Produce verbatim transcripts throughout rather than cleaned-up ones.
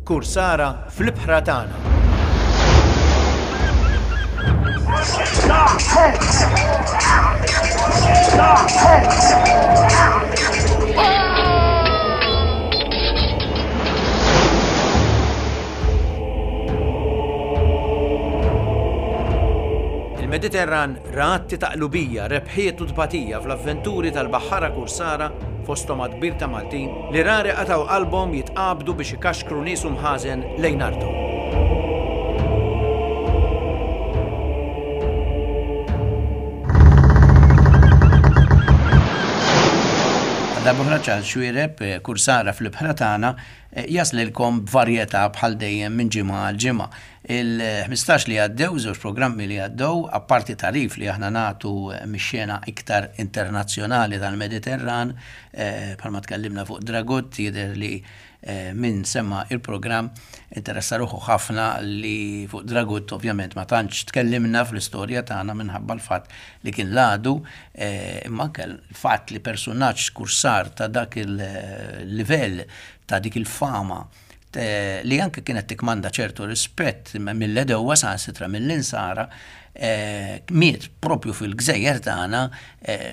Kursara fl-ibħra tagħna. Il-Mediterran ra atti ta' qlubija, rebħiet u tbatija fl-avventuri tal-baħħara kursara, fosthom għadd kbir ta' Maltin, li rari qatgħu qalbhom jitqabdu biex ikaxkru nies u mħażen lejn arthom. Għal darb'oħra Charles Xuereb, kursara fl-ibħra tagħna, jaslilkom b'varjetà bħal dejjem minn ġimgħa għal ġimgħa. Il-ħmistax li għaddew, żewġ programmi li għaddew, apparti tagħrif li aħna nagħtu mix-xena iktar internazzjonali tal-Mediterran, bħalma tkellimna fuq Dragut, jidher li min semma il-programm interessa ruħu ħafna li fuq Dragut ovvjament ma tantx tkellimna fl-istorja tagħna minħabba l-fatt li kien l-għadu, imma anke l-fatt li persunaġġ kursar ta' dak il-livell, ta' dik il-fama, li anke kienet tikmanda ċertu rispett mill-edewwa saħansitra mill-insara, miet propju fil-gżejjer tagħna,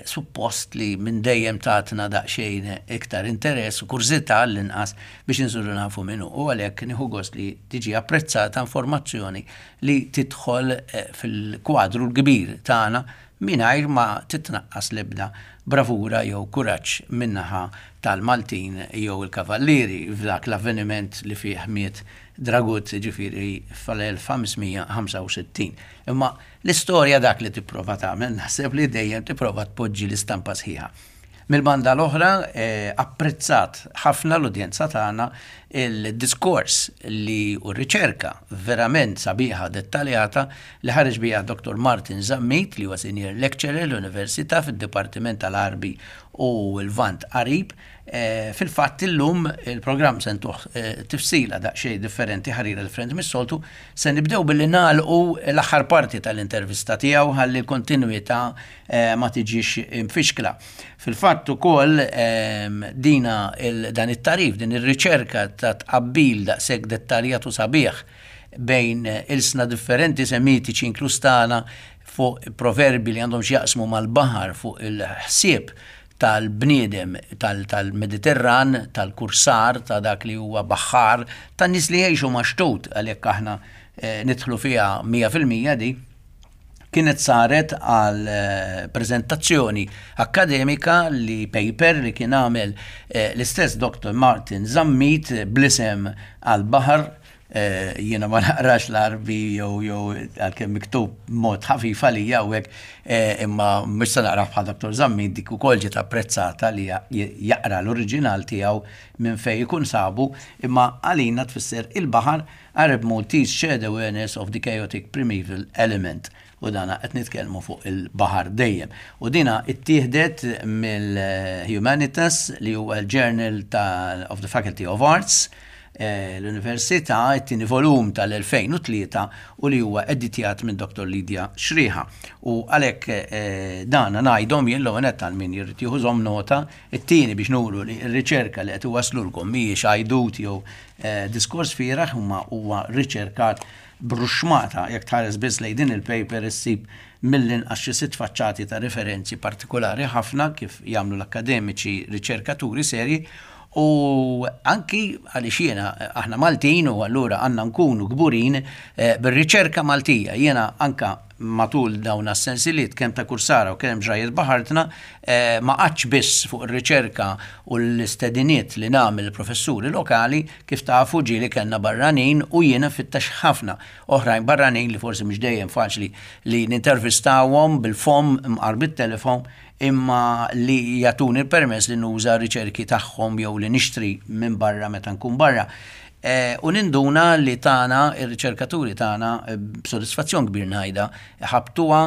suppost li minn dejjem tatna daqsxejn iktar interess u kurżità għall-inqas biex insiru nafu min hu. U għalhekk nieħu gost li tiġi apprezzata informazzjoni li tidħol fil-kwadru l-kbir tagħna mingħajr ma titnaqqas l-ebda bravura jew kuraġġ min-naħa tal-Maltin jew il-Kavallieri f'dak l-avveniment li fih miet Dragut, ġifieri fl-elf ħames mija ħamsa u sittin. Imma l-istorja dak li tipprova tagħmel, naħseb li dejjem tipprova tpoġġi l-istampa sħiħa. Mill-banda l-oħra, apprezzat ħafna l-udjenza tagħna il-diskors li u r-riċerka verament sabiħa dettaljata li ħareġ biha Doktor Martin Zammit, li huwa senior lecturer l-Università fid-Dipartiment tal-Għarbi u l-Lvant Qarib. Fil-fatt illum il-programm se ntuh tifsila daqsxejn differenti, ħarira differenti mis-soltu. Se nibdew billi nagħlqu l-aħħar parti tal-intervista tiegħu ħalli l-kontinwità ma tiġix imfixkla. Fil-fatt ukoll dina dan it-tarif, din ir-riċerka ta' tqabbil daqshekk dettaljat u sabiħ bejn ilsna differenti semitiċi inkluż tagħna fuq proverbi li għandhom x'jaqsmu mal-baħar, fuq il-ħsieb tal-bniedem tal-Mediterran, tal-kursar, ta' dak li huwa baħħar, tan-nies li jgħixu maxtut, għalhekk aħna nidħlu fiha mija fil-mija di, kienet saret għal prezentazzjoni akademika li paper li kien għamel l-istess Doktor Martin Zammit bl-isem għal-baħar. Jiena ma naqrax l-Għarbi jew jew għalkemm miktub mod ħafif għalija u hekk, imma mhux se naqra bħal Doktor Zammit, dik ukoll ġiet apprezzata li jaqra l-oriġinal tiegħu minn fejn ikun sabu, imma għalina tfisser il-baħar, Arab Maltese shared awareness of the chaotic primeval element. U dana qed nitkellmu fuq il-baħar dejjem. U dina ittieħdet mill-Humanitas li huwa l-Journal of the Faculty of Arts, l-Università, it-tieni volum tal-elfejn u tlieta u li huwa editjat minn Doktor Lydia Xriħa. U għalhekk dana ngħidhom jien l-ewwel nett għal min jrid jieħu żomm nota, it-tieni biex nuru li r-riċerka li qed iwaslulkom mhijiex għajdut jew diskors fieraħ, imma huwa riċerkat bruxmata. Jekk tħares biss lejn din il-paper issib mill-inqas xi sitt faċċati ta' referenzi partikolari ħafna kif jagħmlu l-akademiċi riċerkaturi serji, u anki għaliex jiena aħna Maltin u allura għandna nkunu kburin bir-riċerka Maltija. Jiena anka matul dawn as-sensiliet kemm ta' kursara u kemm ġrajiet baħartna, ma qgħadx biss fuq ir-riċerka u l-istediniet li nagħmel professuri lokali, kif tafu ġieli kellna barranin u jiena nfittex ħafna oħrajn barranin li forsi mhux dejjem faċli li nintervistawhom bil-fom mqar bit-telefon, imma li jagħtuni l-permess li nuża riċerki tagħhom jew li nixtri minn barra meta nkun barra. U ninduna li tagħna, ir-riċerkaturi tagħna, b'sodisfazzjon kbir ngħidha, ħabtuha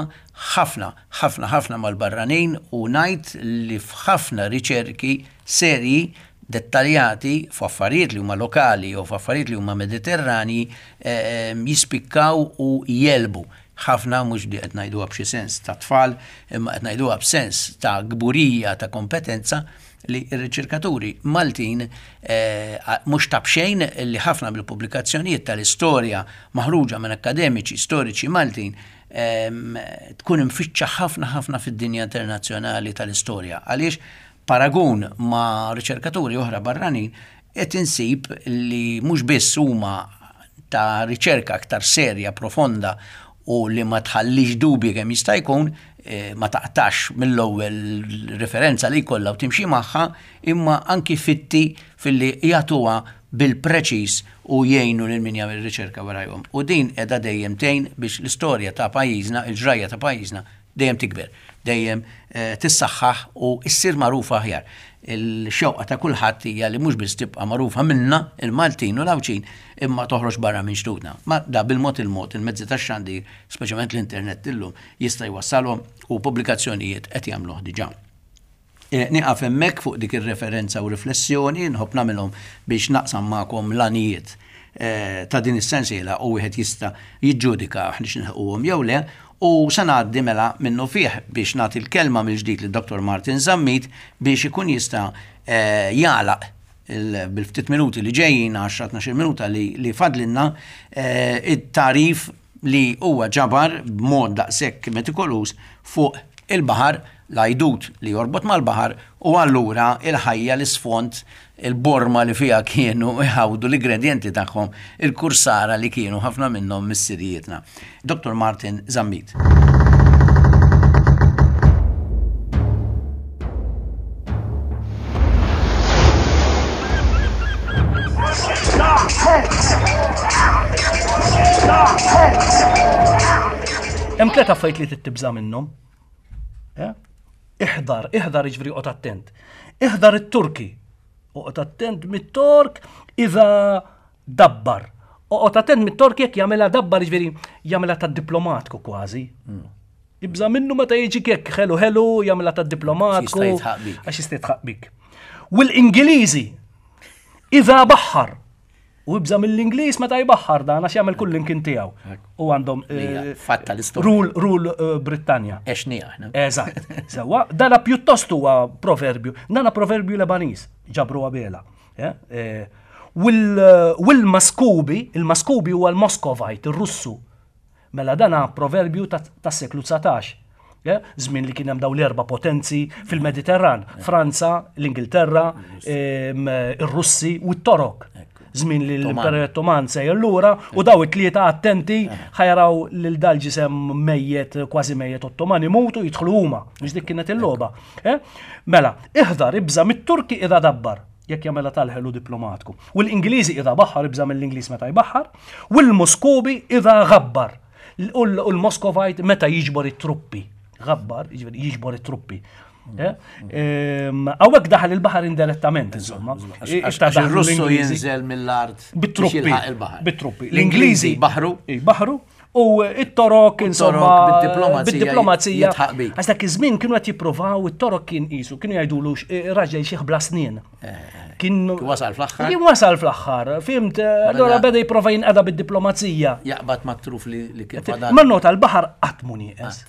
ħafna, ħafna, ħafna mal-barranin, u ngħid li f'ħafna riċerki serji dettaljati f'affarijiet li huma lokali jew f'affarijiet li huma mediterrani jispikkaw u jelbu ħafna, mhux li qed ngħiduha b'xi sens ta' tfal, imma qed ngħiduha b'sens ta' kburija, ta' kompetenza, li r-riċerkaturi Maltin eh, mhux ta' b'xejn li ħafna mill-pubblikazzjonijiet tal-istorja maħruġa minn akademiċi storiċi Maltin ehm, tkun imfittxa ħafna ħafna fid-dinja internazzjonali tal-istorja. Għaliex paragun ma' riċerkaturi oħra barranin qed insib li mhux biss huma ta' riċerka aktar serja, profonda u li ma tħallix dubji kemm jista' jkun, eh, ma taqtax mill-ewwel referenza li jkollha u timxi magħha, imma anki fitti filli jagħtuha bil-preċis u jgħinu lil min jagħmel riċerka warajhom. U din qiegħda dejjem tgħin biex l-istorja ta' pajjiżna, il-ġrajja ta' pajjiżna dejjem tikber, dejjem eh, tissaħħaħ u issir magħrufa aħjar. Il-xewqa ta' kulħadd hija li mhux biss tibqa' magħrufa minna il-Maltin u l-Għawdxin imma toħroġ barra minn xtutna. Ma da bil-mod il-mod il-mezzi tax-xandir, speċjalment l-internet illum, jista' jwassalhom u pubblikazzjonijiet qed jagħmluh diġà. Eh, Nieqaf hemmhekk fuq dik ir-referenza u riflessjoni, nħobb nagħmilhom biex naqsam magħkom l-għanijiet eh, ta' din is-sensiela u wieħed jista' jiġġudika aħniex nilħquhom jew le, u se ngħaddi mela minnu fih biex nagħti l-kelma mill-ġdid lid Dottor Martin Zammit biex ikun jista' eh, jagħlaq il- bil-ftit minuti li ġejjin, għaxra tnax-il minuta li, li fadlinna, eh, it-tarif li huwa ġabar b'mod daqshekk metikoluż fuq il-baħar, l-għajdut li jorbot mal-baħar u allura il-ħajja, l-isfond, il-borma li fija kienu iħawdu l-ingredienti tagħhom il-kursara li kienu ħafna minnhom missirijietna. Dottor Martin Zammit. Hemm tliet affarijiet li tibża' minnhom. Eh? Iħdar, iħdar jiġifieri oqgħod attent. Iħdar it-Turki. Oqgħod attent mit-Tork idha dabbar. Oqgħod attent mit-Tork jekk jagħmilha dabbar, jiġifieri jagħmilha tad-diplomatku kważi. Ibża' minnu meta jiġi jekk ħelu ħelu jagħmilha tad-diplomatku. Jista' jitħaq bik. Għax jista' jitħaq bik. U l-Ingliżi idha baħħar. U ibża' mill-Ingliż meta jbaħħar dan għax jagħmel kull imkien tiegħu. U għandhom Hija eh, fatta l-istorja. Rule, rule eh, Brittanja. Exni aħna. Eżatt. Sewwa, dana pjuttost huwa proverbju. Dana proverbju Lebaniż, ġabru Abela. Eh, eh, Wil-Maskubi, il-Maskubi huwa l-Moskovite, il-Russu. Mela dana proverbju tas-seklu dsatax. Eh, Żmien li kien hemm dawn l-erba' potenzi fil-Mediterran, Franza, l-Ingilterra, ehm, ir-Russi u t-Torok. Żmien li l-Imperu Ottoman sejjer lura u daw it-tlieta attenti ħa jaraw lil dal-ġisem mejjet, kważi mejjet Ottoman imutu jidħlu huma. Mhux dik kienet il-logħba. Eh? Mela, iħdar ibża' mit-Turki idha dabbar jekk jagħmilha tal-ħelu diplomatku. U l-Ingliżi idha baħar, ibża' mill-Ingliż meta jbaħħar, u l-Moskobi idha ghabbar. U l-Moskovite meta jiġbor it-truppi. Ghabbar, jiġifieri jiġbor it-truppi. Hawnhekk daħal il-baħar indirettament, insomma. Għax il-Russu jinżel mill-art bit-truppi. il-baħar. Bit-truppi. L-Ingliżi baħru. Baħru. U it-Torok, insomma, bid-diplomazija bid-diplomazija. jitħaq bik. Għax dak iż-żmien kienu qed jippruvaw, it-Torok kien qisu, kienu jgħidulu raġel xieħ bla snien. Kien wasal fl-aħħar. Kien wasal fl-aħħar, fhimt, allora beda jipprova jinqeda bid-diplomazija. Jaqbad mat-truf li li kif għadan. Ma nota l-baħar qatt mu nieqes.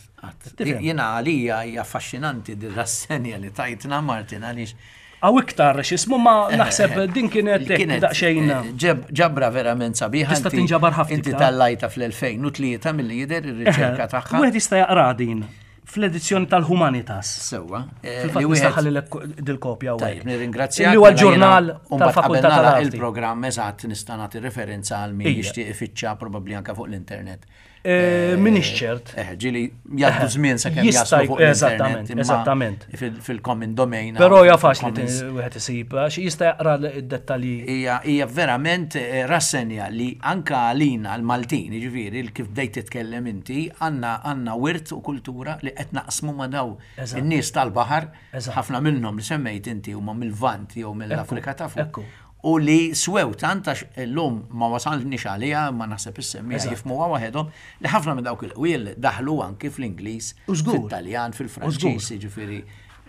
Tifhem? Jiena għalija hija affaxxinanti din rassenja li tajtna Martin għaliex Għaw iktar x'ismu ma naħseb din kienet li kienet, daqsxejn. eh, ġeb- ġabra verament sabiħa. Tista' inti- tinġabar ħafna Inti iktar. tallajta fl-elfejn u tlieta milli jidher ir-riċerka tagħha. Wieħed jista' jaqra din fl-edizzjoni tal-Humanitas. Sewwa. eh, Fil-fatt li wieħed- nistaħħal dil-kopja u Tajjeb, nirringrazzjak. Li huwa mela l-ġurnal jiena, u mbagħad tal-Fakultà qabel nagħlaq tal-Arti. Il-programm eżatt nista' nagħti referenza għal min Ija. jixtieq ifittxa probabbli anke fuq l-internet. Eh, Minix ċert. Eh, ġieli jgħaddu żmien sakemm Jista' jaslu fuq l-internet. eżattament, imma eżattament. fil- Fil-common domain. Però hija faċli fil-commons. wieħed isib għax jista' jaqra d-dettalji. Hija hija verament eh, rassenja li anka għalina l-Maltin, jiġifieri kif bdejt titkellem inti, għandna għandna wirt u kultura li qed naqsmu ma' daw Eżatt. in-nies tal-baħar, Eżatt. ħafna minnhom li semmejt inti huma mill-Lvant jew mill-Afrika ta' fuq. ekku. U li swew tant għax illum ma wasalniex għaliha, ma naħseb is-semmija Eżatt. jifhmuha waħedhom li ħafna minn dawk il-qwiel daħlu anki fl-Ingliż, U żgur. fit-Taljan, U fil-Franċiż, jiġifieri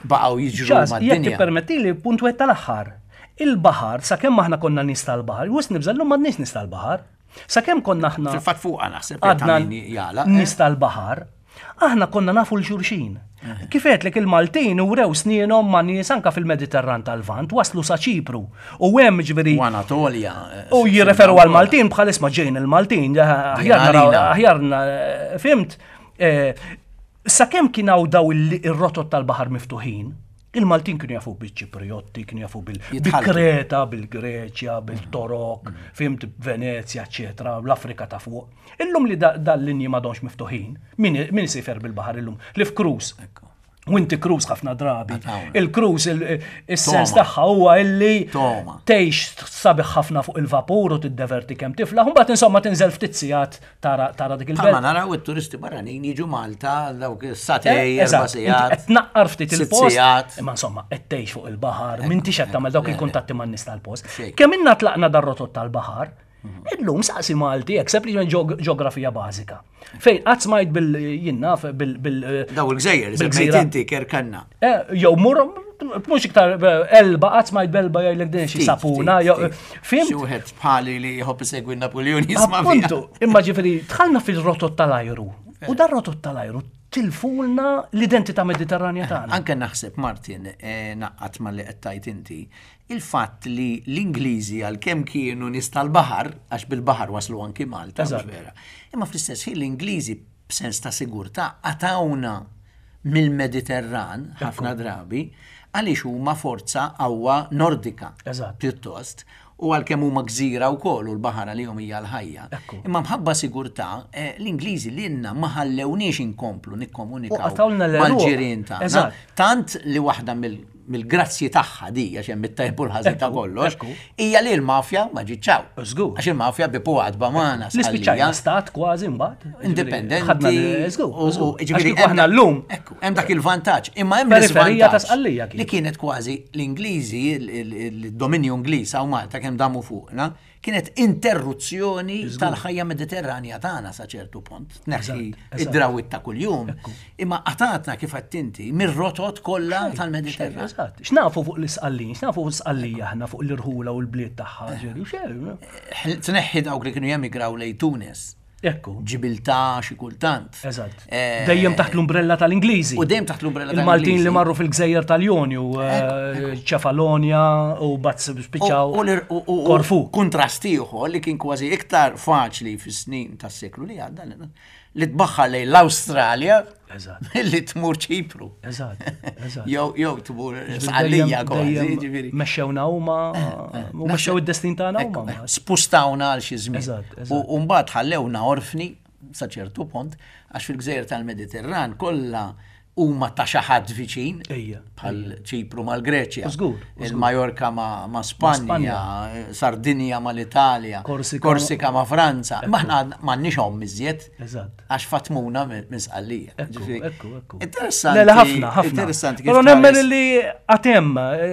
baqgħu jiġru Ċas, jekk mad-dinja. tippermettili punt wieħed tal-aħħar. Il-baħar, sakemm aħna konna nies tal-baħar, wisq nibża' llum m'għadniex nies tal-baħar. Sakemm konna aħna Fil-fatt fuqha naħseb għadna ta' min jagħlaq, eh? nies tal-baħar, Aħna konna nafu 'l xulxin. Kif għedtlek, il-Maltin urew snienhom ma' nies anka fil-Mediterran tal-Lvant, waslu sa Ċipru. U hemm ġifieri U Anatolja. U jirreferu għal-Maltin bħal isma' ġejn il-Maltin, aħjar naraw- għalina. aħjar na- fhimt, eh, sakemm kien hawn daw il- ir-rotot tal-baħar miftuħin, il-Maltin kienu jafu bil-Ċipriotti, kienu jafu bil- Jitħalltu. bil-Kreta, bil-Greċja, bil-Torok, fhimt, Venezja, eccetera, l-Afrika ta' fuq. Illum li da- dal-linji m'għadhomx miftuħin, min min isifer bil-baħar illum? Li f'cruise. U inti cruise ħafna drabi. Għatawna. Il-cruise, il- il-sens Toma. tagħha huwa illi Toma. tgħix sabiħ ħafna fuq il-vapur u tiddeverti kemm tiflaħ, u mbagħad insomma tinżel ftit sigħat tara tara dik Bħalma il-belt. naraw it-turisti barranin jiġu Malta dawk Eh, sagħtejn, erba' Eżatt, inti sigħat. qed tnaqqar ftit sitt il-post, sigħat. imma insomma qed tgħix fuq il-baħar, m'intix qed tagħmel dawk il-kuntatti man-nies tal-post. Xejn. Kemm inna tlaqna dar-rotot tal-baħar, illum saqsi Malti, hekk sempliċement ġeog- ġeografija bażika. Fejn qatt smajt bil jien naf bil bil Daw il-gżejjer, Bil-gżira. semmejt inti Kerkenna. Eh, jew mur mhux iktar eh, Elba, qatt smajt b'Elba, jgħidlek din xi Ftit, sapuna, ftit, jew ftit. fhimt? Xi wieħed bħali li jħobb isegwi Napoleon jisma' fiha. Appuntu, imma ġifieri dħalna fil-rotot tal-ajru. U dar rotot tal-ajru tilfulna l-identità mediterranja tagħna. Anke naħseb, Martin, eh, naqqat ma li qed tajt inti, il-fatt li l-Ingliżi għal kemm kienu nies tal-baħar, għax bil-baħar waslu anki Malta, mhux Eżatt. vera. Imma fl-istess ħin l-Ingliżi b'sens ta' sigurtà qatawna mill-Mediterran ħafna drabi għaliex huma forza qawwa nordika. Eżatt. Pjuttost. U għalkemm huma gżira wkoll u l-baħar għalihom hija l-ħajja. Ekku. Imma mħabba sigurtà, eh, l-Ingliżi lilna ma ħallewniex inkomplu U nikkomunikaw qatawlna l-għeruq. mal-ġirien tagħna. Eżatt. Tant li waħda mill- mill-grazzji tagħha di, għax hemm it-tajb u l-ħażin ta' Ekku, kollox, ekku. hija li l-mafja ma ġietx hawn. Żgur. Għax il-mafja bipu għadba magħna Li spiċċajna Sqallija. stat kważi mbagħad. Indipendenti. Ħadna l- żgur, u- u- żgur. Għax ġifieri kieku aħna hemm- llum Ekku, hemm dak il-vantaġġ. Imma hemm Periferija ta' l-iżvantaġġ Sqallija kien. li kienet kważi l-Ingliżi, il- il- il-dominju Ingliż hawn Malta kemm damu fuqna, kienet interruzzjoni tal-ħajja mediterranja tagħna sa ċertu punt. Tneħħi Eżatt, id-drawit ta' kuljum. Imma qatgħatna, kif għedt inti, mir-rotot kollha tal-Mediterran. Eżatt. X'nafu fuq l-Isqallin, x'nafu fuq l-Isqallija aħna, fuq l-irħula u l-bliet tagħha, ġifieri, xejn. Tneħħi dawk li kienu jemigraw lejn Tunis, Ekku. Ġibiltà xi kultant. Eżatt. Eh, Dejjem taħt l-umbrella tal-Ingliżi. U dejjem taħt l-umbrella Il-Maltin tal-Ingliżi. li marru fil-Gżejjer tal-Jonju, eh, Ċefalonja u bat spiċċaw U- u l- u- u- Korfu. Kuntrast ieħor li kien kważi iktar faċli fis-snin tas-seklu li għadda li tbaħħar lejn l-Awstralja Eżatt. milli tmur Ċipru. Eżatt, eżatt. Jew jew tmur Sqallija kważi, Dejjem ġifieri. Mexxewna huma u mexxew id-destin tagħna huma. Ekku, spustawna għal xi żmien. Eżatt, eżatt. U u mbagħad ħallewna orfni sa ċertu punt għax fil-gżejjer tal-Mediterran kollha huma ta' xi ħadd viċin. Ejja, Bħal Ċipru mal-Greċja. Żgur, żgur. Il-Majorka ma', ma' Spanja, Spanja. Sardinja mal-Italja, Korsika- Korsika ma' Franza. Ma aħna m'għandniex omm iżjed. Eżatt. Għax fatmuna minn minn Sqallija. Ekku, Ġifieri, ekku, ekku. Interessanti. Le, le, ħafna, ħafna. Interessanti kif Però nemmen tħares. li għatem,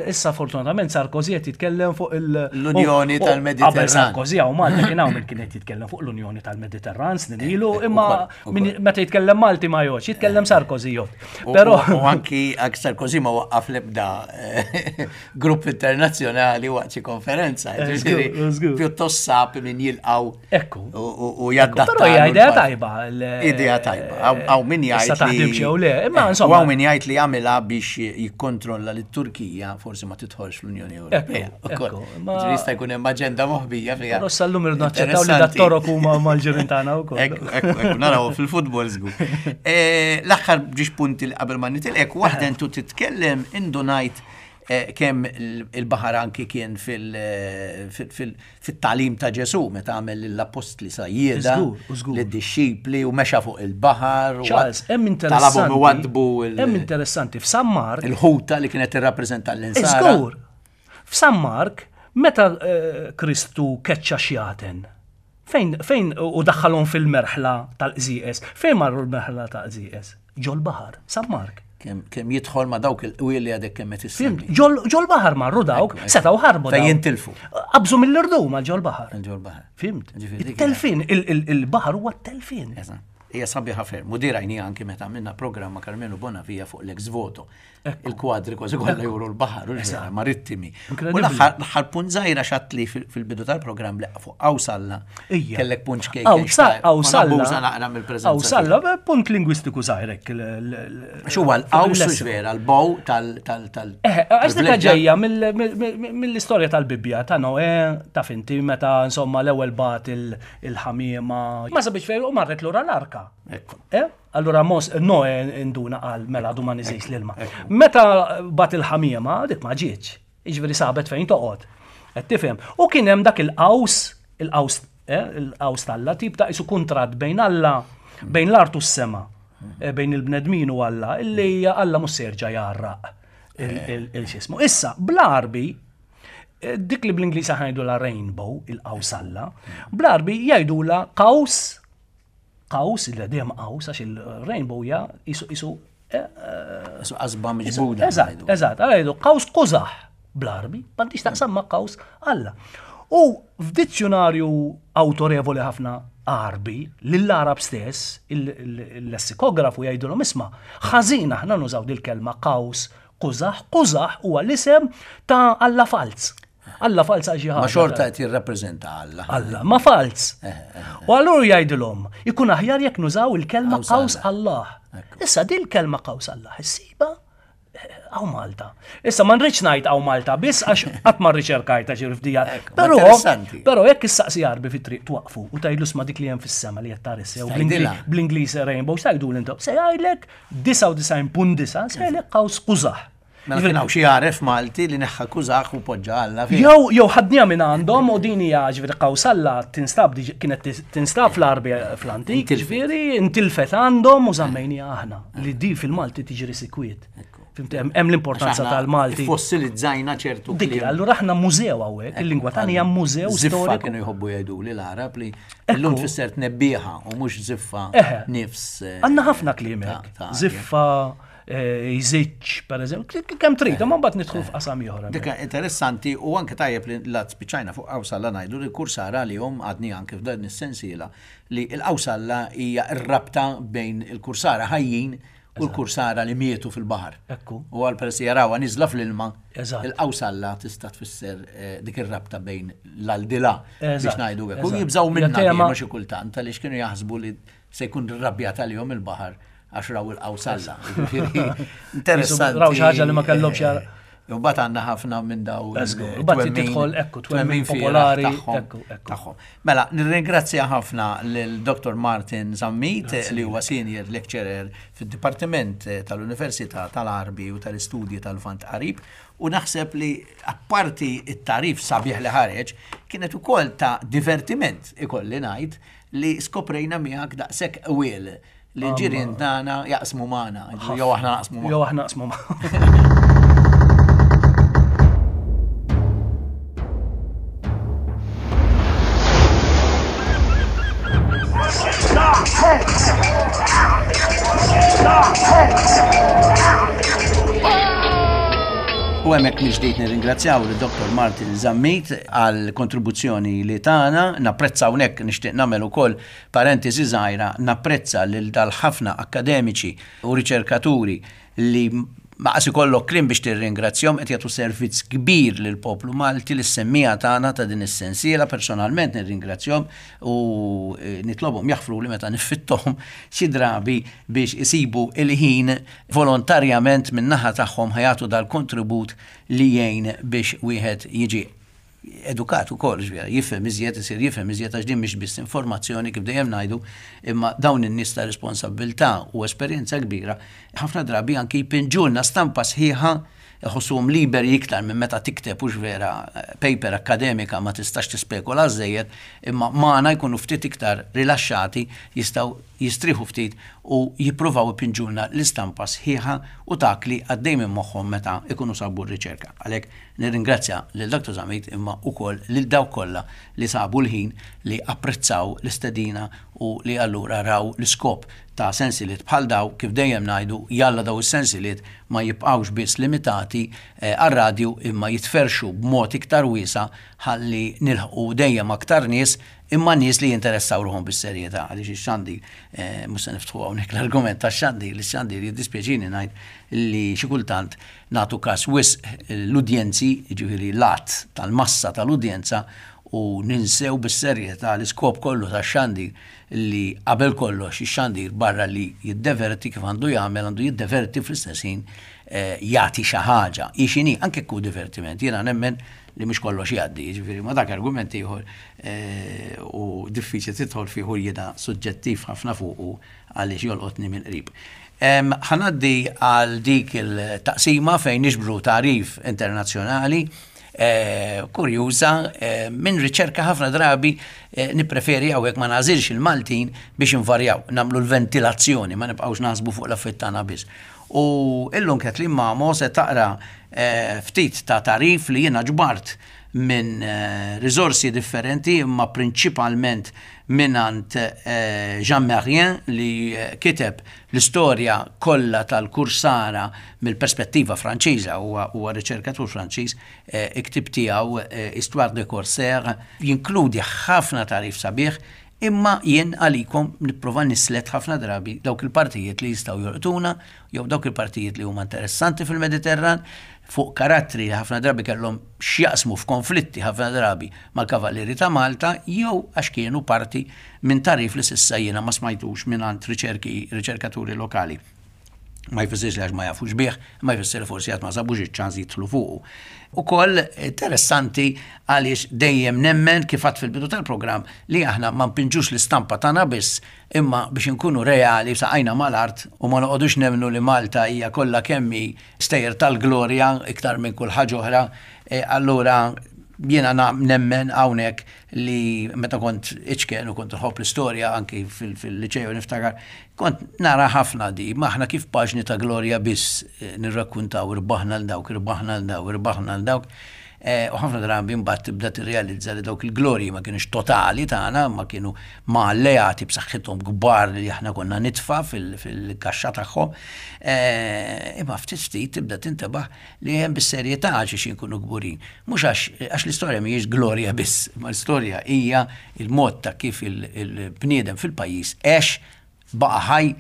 issa fortunatament Sarkozy qed jitkellem fuq il- L-Unjoni u- u- tal-Mediterran. Qabel Sarkozy hawn Malta kien hawn min kien qed jitkellem fuq l-Unjoni tal-Mediterran snin ilu, imma ukoll, min- meta jitkellem Malti ma jgħodx, jitkellem Sarkozy jgħod. U- Però U u anki anki Sarkozy ma waqqaf lebda eh, grupp internazzjonali waqt xi konferenza. Eh, Ġifieri, żgur, żgur. pjuttost sab min jilqaw Ekku. u- u u jaddatta. Però hija idea tajba. l- Idea tajba. Hawn min jgħid Issa taħdimx jew le, imma Eh, insomma. U hawn min jgħid li jagħmilha biex jikkontrolla lit-Turkija forsi ma tidħolx fl-Unjoni Ewropea. Ekku, Ukoll. ekku, ma- Ġifieri jista' jkun hemm aġenda moħbija fiha. Però sal-lum irridu naċċettaw li Interessanti. dat-Torok huma mal-ġirien tagħna wkoll. Ekku, ekku, ekku, naraw fil-futbol żgur. Eh, L-aħħar ġiex punti li qabel ma nitilqek, waħda intu titkellem indunajt eh, kemm il- il-baħar anki kien fil- eh, fil- fil- fit-tagħlim ta' Ġesù meta għamel l-appostli sajjieda, Żgur, żgur. lid-dixxipli u mexa fuq il-baħar. u Charles, hemm Talabhom interessanti. iwaddbu il- Hemm interessanti f'San Mark. il-ħuta li kienet tirrappreżenta l-insara. Żgur. F'San Mark, meta eh, Kristu keċċa xjaten, fejn, fejn u daħħalhom fil-merħla tal-qżieqes, fejn marru l-merħla tal-qżieqes? Ġol baħar, San Mark. Kemm kemm jidħol ma' dawk il-qwiel li għadek kemm qed Fhimt? issemmi. Ġol ġol baħar marru dawk, Ekku, ekku. setgħu ħarbu Fejn dawk. jintilfu. Qabżu mill-irdum għal ġol baħar. Ġol baħar. Fhimt? Ġifieri dik Il-telfin, il- il- il-baħar huwa t-telfin. Eżatt. Hija sabiħa ferm. U dirajni anki meta għamilna programma Karmenu Bonavia fuq l-ex voto. Il-kwadri kważi kollha juru l-baħar, u ġera, marittimi. U l-aħħar punt żgħira xatli fil-bidu tal-programm li fuq Awsalla. Kellek punt xkejken. Awsalla. Naqra mill-preżenza. Awsalla, punt lingwistiku żgħirek. X'huwa l-qaws vera, l-bow tal tal Eh, għax dik ġejja mill-istorja tal-Bibbja ta' Noè, ta' finti meta insomma l-ewwel bat il-ħamiema. Ma sabiex fejn u marret lura l-arka. Eh? Allura mos Noè induna qal mela għadu ma niżejx l-ilma. Meta bat il-ħamiema dik ma ġietx. Jiġifieri sabet fejn toqgħod. Qed tifhem. U kien hemm dak il-qaws, il-qaws, il-qaws t'Alla tip ta' isu kuntratt bejn Alla, bejn l-art u s-sema, bejn il-bnedmin u Alla, illi Alla mhux se jerġa' jgħarraq il-xismu. Issa, bl-Għarbi, dik li bl-Ingliż aħna jgħidulha rainbow, il-qaws Alla, bl-Għarbi jgħidulha qaws, qaws, il dejjem qaws, għax il-rainbow hija isu isu isu qasba miġbuda. Eżatt, eżatt, jgħidu qaws Qużaħ bl-Għarbi, m'għandix taqsam ma' qaws Alla. U f'dizzjonarju awtorevoli ħafna Għarbi, lill-Arab stess, il-lessikografu jgħidulhom isma' ħażin aħna nużaw dil-kelma qaws Qużaħ, Qużaħ huwa l-isem ta' Alla falz. Alla falz għal xi ħaġa. Ma xorta qed jirrappreżenta Alla. Alla, ma falz. U allura jgħidilhom, ikun aħjar jekk nużaw il-kelma qaws Allah. Issa din il-kelma qaws Allah issiba hawn Malta. Issa ma nridx ngħid hawn Malta biss għax qatt ma rriċerkajta xi fdija. Però però jekk issaqsi Għarbi fit-triq twaqfu u tgħidlu sma dik li hemm fis-sema li qed tara sew bl-Ingliż rainbow x'tgħidu intom? Se jgħidlek disgħa u disgħin punt disgħa se jgħidlek qaws Qużaħ. Mela kien hawn xi għaref Malti li neħħa Qużaħ u poġġa Alla fiha. Jew jew ħadniha minn għandhom u din hija ġifieri qaws Alla tinstab kienet tinstab fl-Għarbi fl-antik, ġifieri intilfet għandhom u żammejniha aħna li di fil-Malti tiġri sikwiet. Fimti, hemm l-importanza tal-Malti. Fossilizzajna ċertu Dik, allura aħna mużew hawnhekk, il-lingwa tagħna hija mużew storiku. Kienu jħobbu jgħidu li l-Arab li llum tfisser tnebbiħa u mhux żiffa nifs. Għandna ħafna kliem hekk. Żiffa, jżiġġ, per eżempju, kemm trid, imma mbagħad nidħlu f'qasam ieħor. Dik interessanti u anke tajjeb li la spiċċajna fuq Qawsalla ngħidu li kursara li hom għadni anke f'dan is-sensiela li l-Qawsalla hija r-rabta bejn il-kursara ħajjin u l-kursara li mietu fil-baħar. Ekku. U għal peress jarawha niżla fl-ilma, il-Qawsalla tista' tfisser dik ir-rabta bejn l-aldilà biex ngħidu hekk. U jibżgħu minnha kienu xi kultant għaliex kienu jaħsbu li se jkun irrabjat għalihom il-baħar għax raw il-Qawsalla. Interessanti. Raw xi ħaġa li ma kellhomx jara. U mbagħad għandna ħafna minn daw. Mbagħad tidħol ekku twemmin popolari tagħhom. Mela, nirringrazzja ħafna lil Dottor Martin Zammit li huwa senior lecturer fid-Dipartiment tal-Università tal-Għarbi u tal-Istudji tal-Lvant Qarib u naħseb li apparti it-tarif sabiħ li ħareġ kienet ukoll ta' divertiment ikolli ngħid li skoprejna miegħek daqshekk qwiel li ġirien tagħna jaqsmu magħna, jew aħna naqsmu magħna. Jew aħna naqsmu magħna. U hemmhekk mill-ġdid nirringrazzjaw lil Dottor Martin Zammit għal kontribuzzjoni li tagħna, napprezza hawnhekk nixtieq nagħmel ukoll parentesi żgħira, napprezza lil dal-ħafna akademiċi u riċerkaturi li ma qas ikollok kliem biex tirringrazzjahom qed jagħtu servizz kbir lil poplu Malti li semmija tagħna ta' din is-sensiela, personalment nirringrazzjahom u nitlobhom jaħfru li meta nifitthom xi drabi biex isibu il-ħin volontarjament min-naħa tagħhom ħajatu dal-kontribut li jgħin biex wieħed jiġi edukat ukoll, ġifieri jifhem iżjed, isir jifhem iżjed għax din mhix biss informazzjoni kif dejjem ngħidu, imma dawn in-nies ta' responsabilità u esperjenza kbira ħafna drabi anki jpinġulna stampa sħiħa, iħossuhom liberi iktar minn meta tikteb hux vera paper akademika ma tistax tispekula żejjed, imma magħna jkunu ftit iktar rilaxxati, jistgħu jistrieħu ftit u jippruvaw ipinġulna l-istampa sħiħa u dak li għaddej minn moħħhom meta ikunu sabu r-riċerka. Għalhekk nirringrazzja lil Dottor Zammit imma wkoll lil dawk kollha li sabu l-ħin li apprezzaw l-istedina u li allura raw l-iskop ta' sensiliet bħal daw, kif dejjem ngħidu, jalla daw is-sensiliet ma jibqgħux biss limitati għar-radju imma jitferxu b'mod iktar wiesa' ħalli nilħqu dejjem aktar nies Imma nies li jinteressaw ruħhom bis-serjetà, għaliex ix-xandir, eh, mhux se niftħu hawnhekk l-argument tax-xandir, li x-xandir jiddispjaċini ngħid li xi kultant nagħtu każ wisq l-udjenzi, jiġifieri l-att tal-massa tal-udjenza, u ninsew bis-serjetà l-iskop kollu tax-xandir, li qabel kollox ix-xandir barra li jiddeverti kif għandu jagħmel, għandu jiddeverti fl-istess ħin eh, jagħti xi ħaġa. Hi x'inhi, anke ku divertiment, jiena nemmen li mhux kollox jgħaddi, jiġifieri ma dak argument ieħor eh, u diffiċli tidħol fih u jiena suġġettiv ħafna fuqu għaliex jolqotni mill-qrib. Ħa ngħaddi għal dik il-taqsima fejn niġbru tagħrif internazzjonali eh, kurjuża eh, minn riċerka. Ħafna drabi eh, nippreferi hawnhekk ma nagħżilx il-Maltin biex invarjaw, nagħmlu l-ventilazzjoni, ma nibqgħux naħsbu fuq l-affarijiet tagħna biss. U illum Kathleen Mamo se taqra eh, ftit ta' tagħrif li jiena ġbart minn eh, risorsi differenti, imma prinċipalment mingħand eh, Jean Merrien, li eh, kiteb l-istorja kollha tal-Kursara mill-perspettiva Franċiża, huwa huwa riċerkatur Franċiż, eh, il-ktieb tiegħu eh, Histoire de Corsaire jinkludi ħafna tagħrif sabiħ, imma jien għalikom nipprova nislet ħafna drabi dawk il-partijiet li jistgħu jolqtuna jew dawk il-partijiet li huma interessanti fil-Mediterran fuq karattri li ħafna drabi kellhom x'jaqsmu f'konflitti ħafna drabi mal-Kavallieri ta' Malta jew għax kienu parti minn tagħrif li s'issa jiena ma smajtux minn riċerki riċerkaturi lokali. Ma jfissirx li għax ma jafux bih, ma jfissir li forsi għad ma sabux iċ-ċans jidħlu fuqu. Ukoll interessanti għaliex dejjem nemmen, kif għedt fil-bidu tal-programm, li aħna ma npinġux l-istampa tagħna biss, imma biex inkunu reali saqajna mal-art u ma noqogħdux nemmnu li Malta hija kollha kemm hi stejjer tal-glorja iktar minn kull ħaġa oħra, e, allura jiena nemmen hawnhekk li meta kont iċken u kont nħobb l-istorja anki fil-liċeju niftakar, kont nara ħafna di, aħna kif paġni ta' glorja biss eh, nirrakkuntaw, irbaħna 'l dawk, irbaħna 'l dawk, irbaħna 'l dawk. Eh, u ħafna drabi mbagħad tibda tirrealizza li dawk il-glorji ma kienux totali tagħna, ma kienu ma' alleati b'saħħithom kbar li aħna konna nitfa fil-kaxxa tagħhom. Eh, imma ftit ftit tibda tintebaħ li hemm bis-serjetà għax inkunu kburin. Mhux għax l-istorja mhijiex glorja biss, ma l-istorja hija il-mod ta' kif il-bniedem fil-pajjiż għex, baqa' ħaj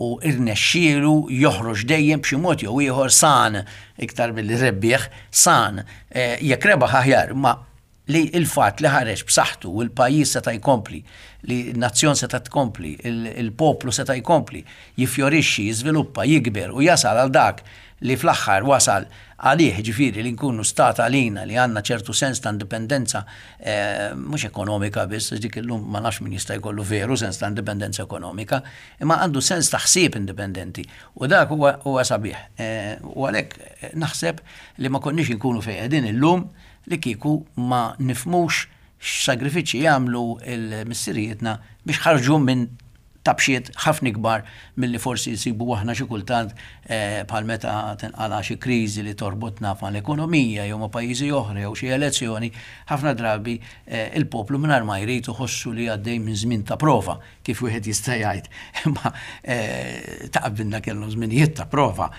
u irnexxielu joħroġ dejjem b'xi mod jew ieħor san, iktar milli rebbieħ, san, eh, jekk rebaħ aħjar, ma li il-fatt li ħareġ b'saħħtu u l-pajjiż seta' jkompli, li n-nazzjon seta' tkompli, il-poplu seta' jkompli, jifjorixxi, jiżviluppa, jikber u jasal għal dak li fl-aħħar wasal għalih, ġifieri li nkunu stat għalina, li għandna ċertu sens ta' indipendenza, eh, mhux ekonomika biss, dik illum ma nafx min jista' jkollu veru sens ta' indipendenza ekonomika, imma għandu sens ta' ħsieb indipendenti. U dak huwa huwa sabiħ. Eh, u għalhekk eh, naħseb li ma konniex inkunu fejn qegħdin illum li kieku ma nifhmux x'sagrifiċċji jagħmlu il-missirijietna biex ħarġu minn tabxiet ħafna kbar milli forsi jsibu aħna xi kultant eh, bħal meta tinqala xi kriżi li torbotna mal-ekonomija jew ma' pajjiżi oħra jew xi elezzjoni, ħafna drabi eh, il-poplu mingħajr ma jrid iħossu li għaddej minn żmien ta' prova, kif wieħed jista' jgħid. Imma eh, ta' qabilna kellhom żminijiet ta' prova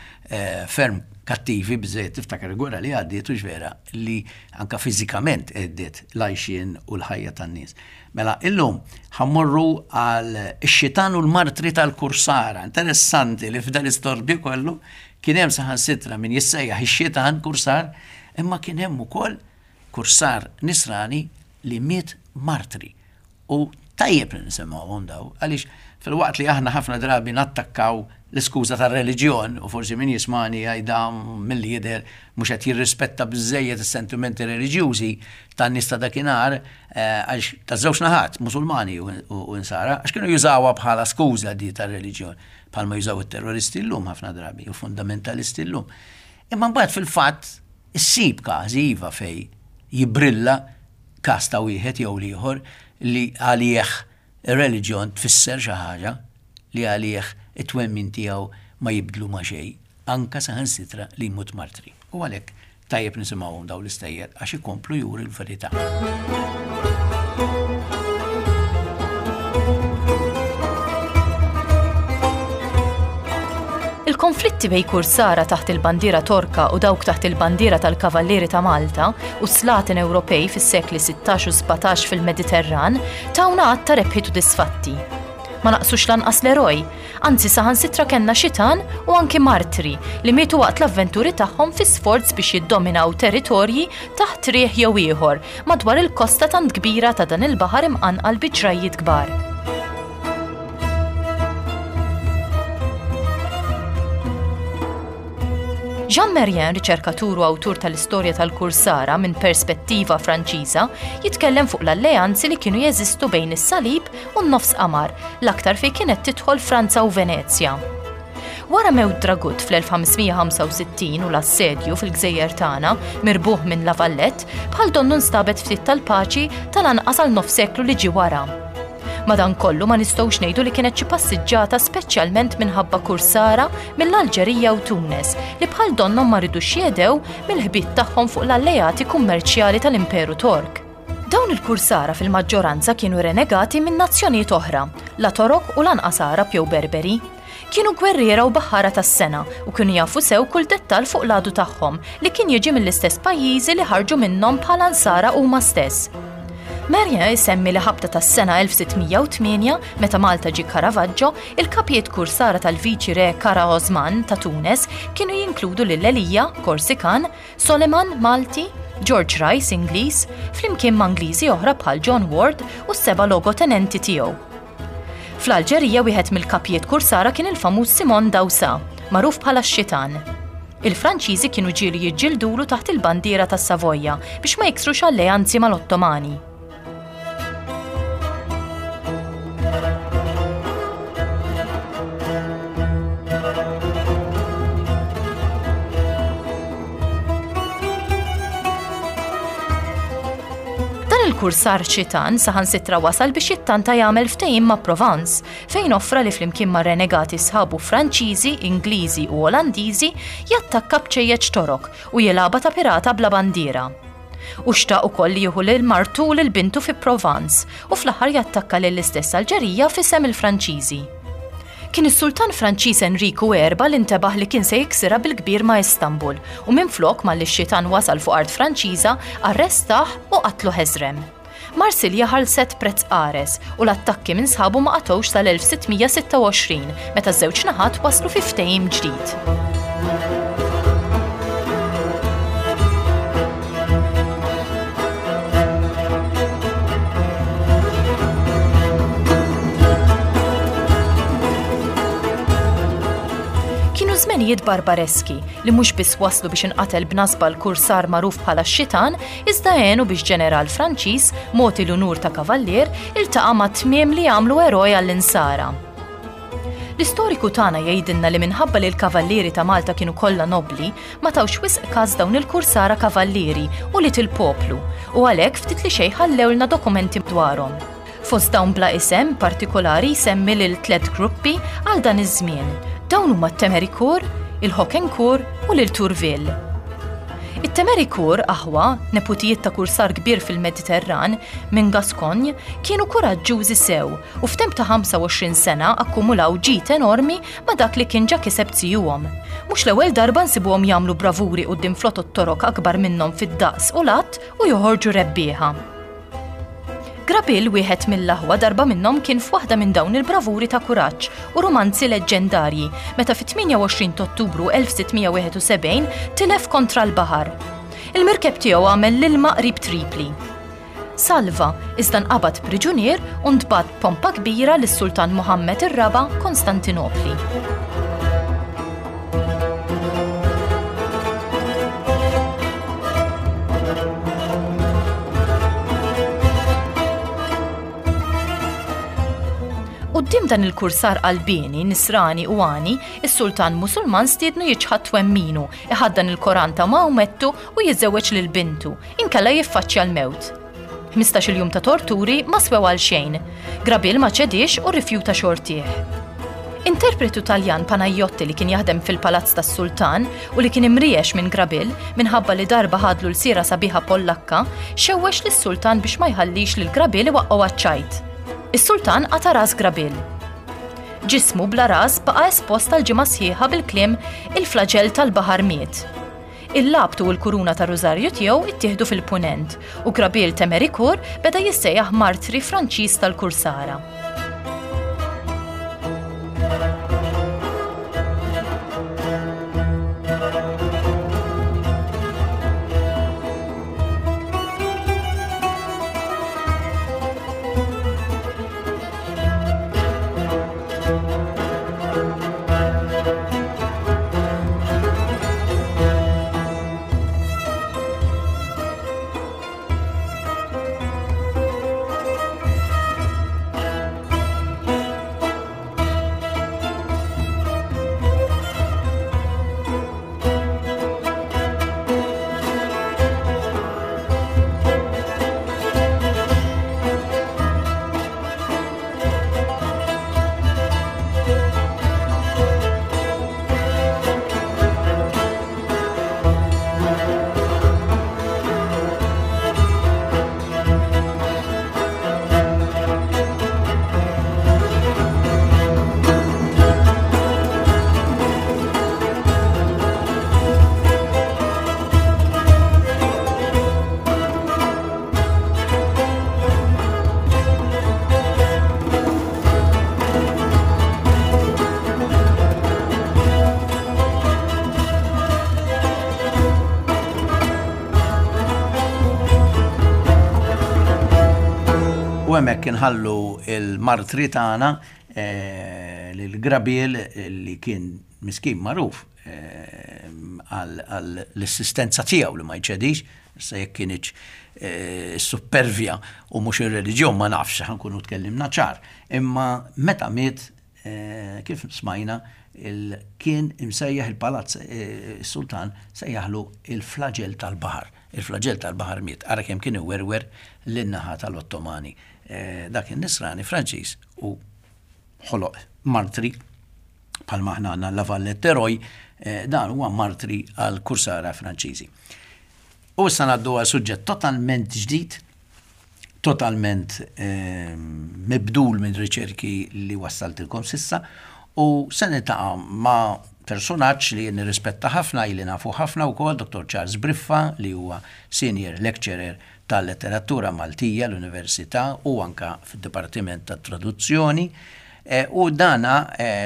ferm kattivi biżejjed tiftakar il-gwerra li għaddiet u vera li anka fiżikament għeddiet l-għajxien u l-ħajja tan-nies. Mela, illum ħa mmorru għal ix-xitan u l-martri tal-Kursara. Interessanti li f'dan l-istorbju kollu kien hemm saħansitra min jissejjaħ ix-xitan kursar, imma kien hemm ukoll kursar nisrani li miet martri. U tajjeb li nisimgħuhom daw, għaliex filwaqt li aħna ħafna drabi nattakkaw l-iskuża tar-reliġjon u forsi min jismani jgħidha milli jidher mhux qed jirrispetta biżejjed is-sentimenti reliġjużi tan-nies ta' dakinhar, eh, għax ta' żewġ naħat, Musulmani u Insara, għax kienu jużawha bħala skuża di tar-reliġjon, bħalma jużaw it-terroristi llum ħafna drabi u fundamentalisti llum. Imma mbagħad fil-fatt issib każi iva fej jibrilla każ ta' wieħed jew l-ieħor li għalih ir-reliġjon tfisser xi ħaġa, li għalih it-twemmin tiegħu ma jibdlu ma xejn, anka saħansitra li jmut martri. U għalhekk tajjeb nisimgħuhom dawn l-istejjer għax ikomplu juru l-verità. Il-konflitti Il-kumbatti bejn kursara taħt il-bandiera Torka u dawk taħt il-bandiera tal-Kavallieri ta' Malta u slaten Ewropej fis-sekli sittax u sbatax fil-Mediterran tawna għadd ta' rebħiet u disfatti. Ma naqsux lanqas l-eroj, anzi saħansitra kellna xitan u anki martri li mietu waqt l-avventuri tagħhom fi sforz biex jiddominaw territorji taħt riħ jew ieħor madwar il-kosta tant kbira ta' dan il-baħar imqanqal bi ġrajjiet kbar. Jean Merrien, riċerkatur u awtur tal-istorja tal-Kursara minn perspettiva Franċiża, jitkellem fuq l-alleanzi li kienu jeżistu bejn is-Salib u n-nofs qamar, l-aktar fejn kienet tidħol Franza u Venezja. Wara mewt Dragut fl-elf ħamsmija ħamsa u sittin u l-assedju fil-gżejjer tagħna mirbuħ minn La Valette, bħal donnu nstabet ftit tal-paċi tal-anqas għal nofs seklu li ġie wara. Madankollu ma nistgħux ngħidu li kienet xi passiġġata speċjalment minħabba kursara mill-Alġerija u Tunes li bħal donnhom ma ridux jedew mill-ħbiet tagħhom fuq l-alleati kummerċjali tal-Imperu Tork. Dawn il-kursara fil-maġġoranza kienu renegati minn nazzjonijiet oħra, la Torok u lanqas Arab jew Berberi. Kienu gwerriera u baħħara tas-sena u kienu jafu sew kull dettal fuq l-għadu tagħhom li kien jiġi mill-istess pajjiżi li ħarġu minnhom bħala nsara huma stess. Merrien isemmi li ħabta tas-sena elf sittmija u tmienja, meta Malta ġie Caravaggio, il-kapijiet kursara tal-viċi re Kara Osman ta' Tunes kienu jinkludu lil Elija, Korsikan, Soleman, Malti, George Rice, Ingliż, flimkien ma' Ingliżi oħra bħal John Ward u s-seba' logotenenti tiegħu. Fl-Alġerija wieħed mill-kapijiet kursara kien il-famuż Simon Dawsa, magħruf bħala x-Xitan. Il-Franċiżi kienu ġieli jiġġildulu taħt il-bandiera tas-Savoja biex ma jiksrux alleanzi mal-Ottomani. Dan il-kursar xitan saħansitra wasal biex jittanta jagħmel ftehim ma' Provence, fejn offra li flimkien ma' renegati sħabu Franċiżi, Ingliżi u Olandiżi jattakka bċejjeċ Torok u jilgħabha ta' pirata bla bandiera. U xtaq ukoll li jieħu lil martu u lil bintu fi Provence u fl-aħħar jattakka lill-istess Alġerija f'isem il-Franċiżi. Kien is-Sultan Franċiż Enriku erba' li ntebaħ li kien se jiksirha bil-kbir ma' Istanbul u minflok malli x-xitan wasal fuq art Franċiża arrestah u qatlu ħeżrem. Marsilja ħallset prezz qares u l-attakki minn sħabu ma qatgħux sal-elf sittmija sitta u għoxrin meta ż-żewġ naħat waslu fi ftehim ġdid. Kienu żmenijiet barbareski li mhux biss waslu biex inqatel b'nasba l-kursar magħruf bħala x-xitan, iżda għenu biex ġeneral Franċiż, mogħti l-unur ta' kavallier, iltaqa' ma' tmiem li għamlu eroj għall-insara. L-istoriku tagħna jgħidilna li minħabba li l-kavallieri ta' Malta kienu kollha nobli, ma tawx wisq każ dawn il-kursara kavallieri u li til-poplu, u għalhekk ftit li xejn ħallewlna dokumenti dwarhom. Fost dawn bla isem partikolari jsemmi lil tliet gruppi għal dan iż-żmien. Dawn huma t-Temerikur, il-Hocquincourt u lil Tourville. It-Temerikur, aħwa, neputijiet ta' kursar kbir fil-Mediterran minn Gascogne, kienu kuraġġużi sew u f'temp ta' ħamsa u għoxrin sena akkumulaw ġid enormi ma' dak li kien ġa kiseb zijuhom. Mhux l-ewwel darba nsibuhom jagħmlu bravuri quddiem flotot torok akbar minnhom fid-daqs u l-att u joħorġu rebbieħa. Grabil, wieħed mill-aħwa, darba minnhom kien f'waħda minn dawn il-bravuri ta' kuraġġ u romanzi leġġendarji meta fit-tmienja u għoxrin ta' Ottubru elf sittmija wieħed u sebgħin tilef kontra l-baħar. Il-mirkeb tiegħu għamel l-ilma qrib Tripli. Salva, iżda nqabad priġunier u ntbagħat pompa kbira lis-Sultan Muhammad ir-Raba' Konstantinopli. Quddiem dan il-kursar qalbieni, nisrani u għani, is-sultan Musulman stiednu jiċħad twemminu, iħaddan il-Koran ta' Maomettu u jiżżewweġ lil bintu, inkella jiffaċċja l-mewt. Ħmistax-il jum ta' torturi ma swew għal xejn. Grabil ma ċedix u rrifjuta xortih. Interpretu Taljan Panajotti li kien jaħdem fil-palazz tas-sultan u li kien imriex minn Grabil minħabba li darba ħadlu l-sira sabiħa Pollakka, xewwex lis-sultan biex ma jħallix lil Grabil iwaqqgħu għaċ-ċajt. Is-sultan qata' ras Grabil. Ġismu bla ras baqa' espost għal ġimgħa sħiħa bil-kliem il-flaġell tal-baħar miet. Il-labtu u l-kuruna ta' Rużarju tiegħu ittieħdu fil-Punent u Grabiel Temerikur beda jissejjaħ martri Franċiż tal-Kursara. U hemmhekk inħallu il-martri tagħna lil Grabiel li kien miskin magħruf għall-assistenza tiegħu li ma jċedix, issa jekk kienx is-suppervja u mhux ir-reliġjon ma nafx, ħa nkunu tkellimna ċar. Imma meta miet, kif smajna, kien imsejjaħ il-palazz, is-sultan sejjaħlu il-flaġell tal-baħar. Il-flaġell tal-baħar miet, ara kemm kien iwerwer lin-naħa tal-Ottomani. Dak in-nisrani Franċiż u ħoloq martri bħalma aħna għandna La Valette Eroj, dan huwa martri għal kursara Franċiżi. U issa ngħaddu għal suġġett totalment ġdid, totalment mibdul minn riċerki li wassaltilkom sissa, u se niltaqa' ma' personaġġ li nirrispetta ħafna, ili nafu ħafna wkoll, Dottor Charles Briffa, li huwa senior lecturer tal-letteratura Maltija l-Università u anka fid-Dipartiment tat-Traduzzjoni. U dana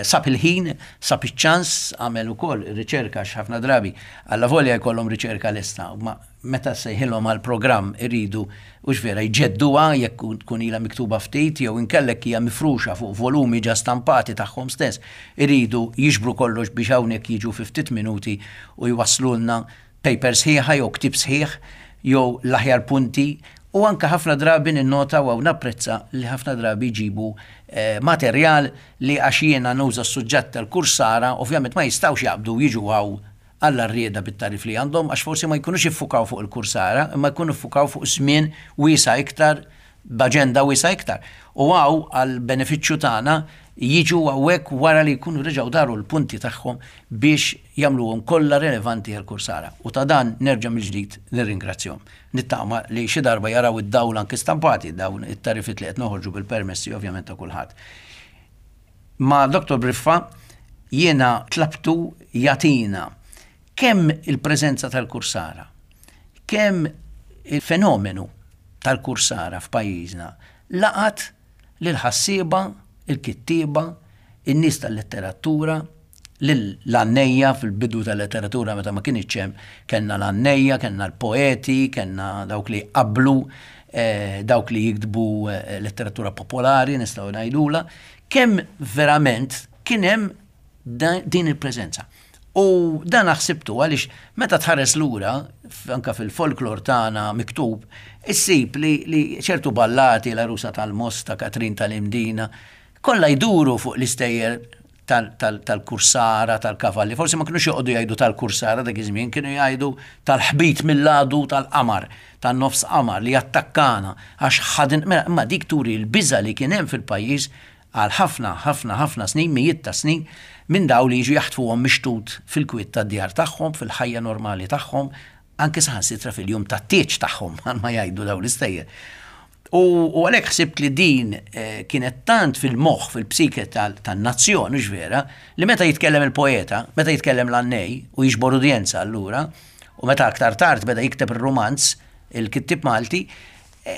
sab il-ħin, sab iċ-ċans, għamel ukoll riċerka x'ħafna drabi, alla volja jkollhom riċerka lesta, ma meta sejħilhom għal programm iridu u x'vera jġedduha jekk tkun ilha miktuba ftit jew inkellek hija mifruxa fuq volumi ġa stampati tagħhom stess, iridu jiġbru kollox biex hawnhekk jiġu fi ftit minuti u jwasslulna paper sħiħa jew ktieb sħiħ jew l-aħjar punti. U anka ħafna drabi ninnota u napprezza li ħafna drabi jġibu materjal li għax jiena nuża s-suġġett tal-kursara, ovvjament ma jistgħux jaqbdu jiġu hawn għall-arrieda bit-tarif li għandhom, għax forsi ma jkunux iffukaw fuq il-kursara, imma jkunu iffukaw fuq żmien wiesa' iktar, b'aġenda wiesa' iktar. U hawn għall-benefiċċju tagħna jiġu hawnhekk wara li jkunu reġgħu daru l-punti tagħhom biex jagħmluhom kollha relevanti għall-kursara. U ta' dan nerġa' mill-ġdid nirringrazzjahom. Nittama li xi darba jaraw id-dawl anke stampati dawn it-tarifit li qed noħorġu bil-permessi ovvjament ta' kulħadd. Ma' Dottor Briffa jiena tlabtu jagħtina kemm il-preżenza tal-kursara, kemm il-fenomenu tal-kursara f'pajjiżna laqat lil ħassieba, il-kittieba, in-nies tal-letteratura, l-għannejja fil-bidu tal-letteratura meta ma kienx hemm, kellna l-għannejja, kellna l-poeti, kellna dawk li qablu, dawk li jiktbu letteratura popolari, nistgħu ngħidula, kemm verament kien hemm din il-preżenza. U dan ħsibtu għaliex meta tħares lura, anka fil-folklor tagħna miktub, issib li, li ċertu ballati, l-Arusa tal-Mosta, Katrin tal-Imdina, kollha jduru fuq l-istejjer tal-kursara, tal-kavalli. Forsi ma kinux joqogħdu jgħidu tal-kursara dak iż-żmien, kienu jgħidu tal-ħbit mill-għadu tal-qamar, tan-nofs qamar li jattakkana għax ħadin, imma dik turi l-biża' li kien hemm fil-pajjiż għal ħafna, ħafna, ħafna snin, mijiet ta' snin, minn daw li jiġu jaħtfuhom mixtut fil-kwiet tad-djar tagħhom, fil-ħajja normali tagħhom, anke saħansitra fil-jum tat-tieġ tagħhom, ma jgħidu daw l-istejjer. U għalhekk ħsibt li din kienet tant fil-moħħ, fil-psike tan-nazzjon, mhux vera, li meta jitkellem il-poeta, meta jitkellem l-għannej u jiġbor udjenza allura, u meta aktar tard beda jikteb ir-rumanz, il-kittieb Malti,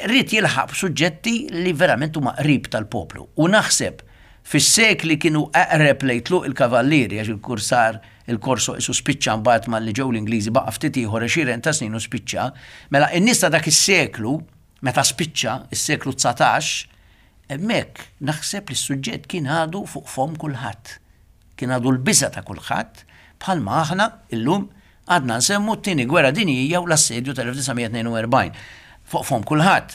ried jilħaq suġġetti li verament huma qrib tal-poplu. U naħseb fis-sekli kienu eqreb lejn tluq il-kavallieri, għax il-kursar, il-korso isu spiċċa mbagħad malli ġew l-Ingliżi baqa' ftit ieħor għexieren ta' snin u spiċċa, mela n-nies ta' dak is-seklu, meta spiċċa is-seklu dsatax, hemmhekk naħseb li s-suġġett kien għadu fuq fomm kulħadd. Kien għadu l-biża' ta' kulħadd, bħalma aħna illum għadna nsemmu t-tieni gwerra dinjija u l-assedju tal-elf disa' mija tnejn u erbgħin. Fuq fomm kulħadd.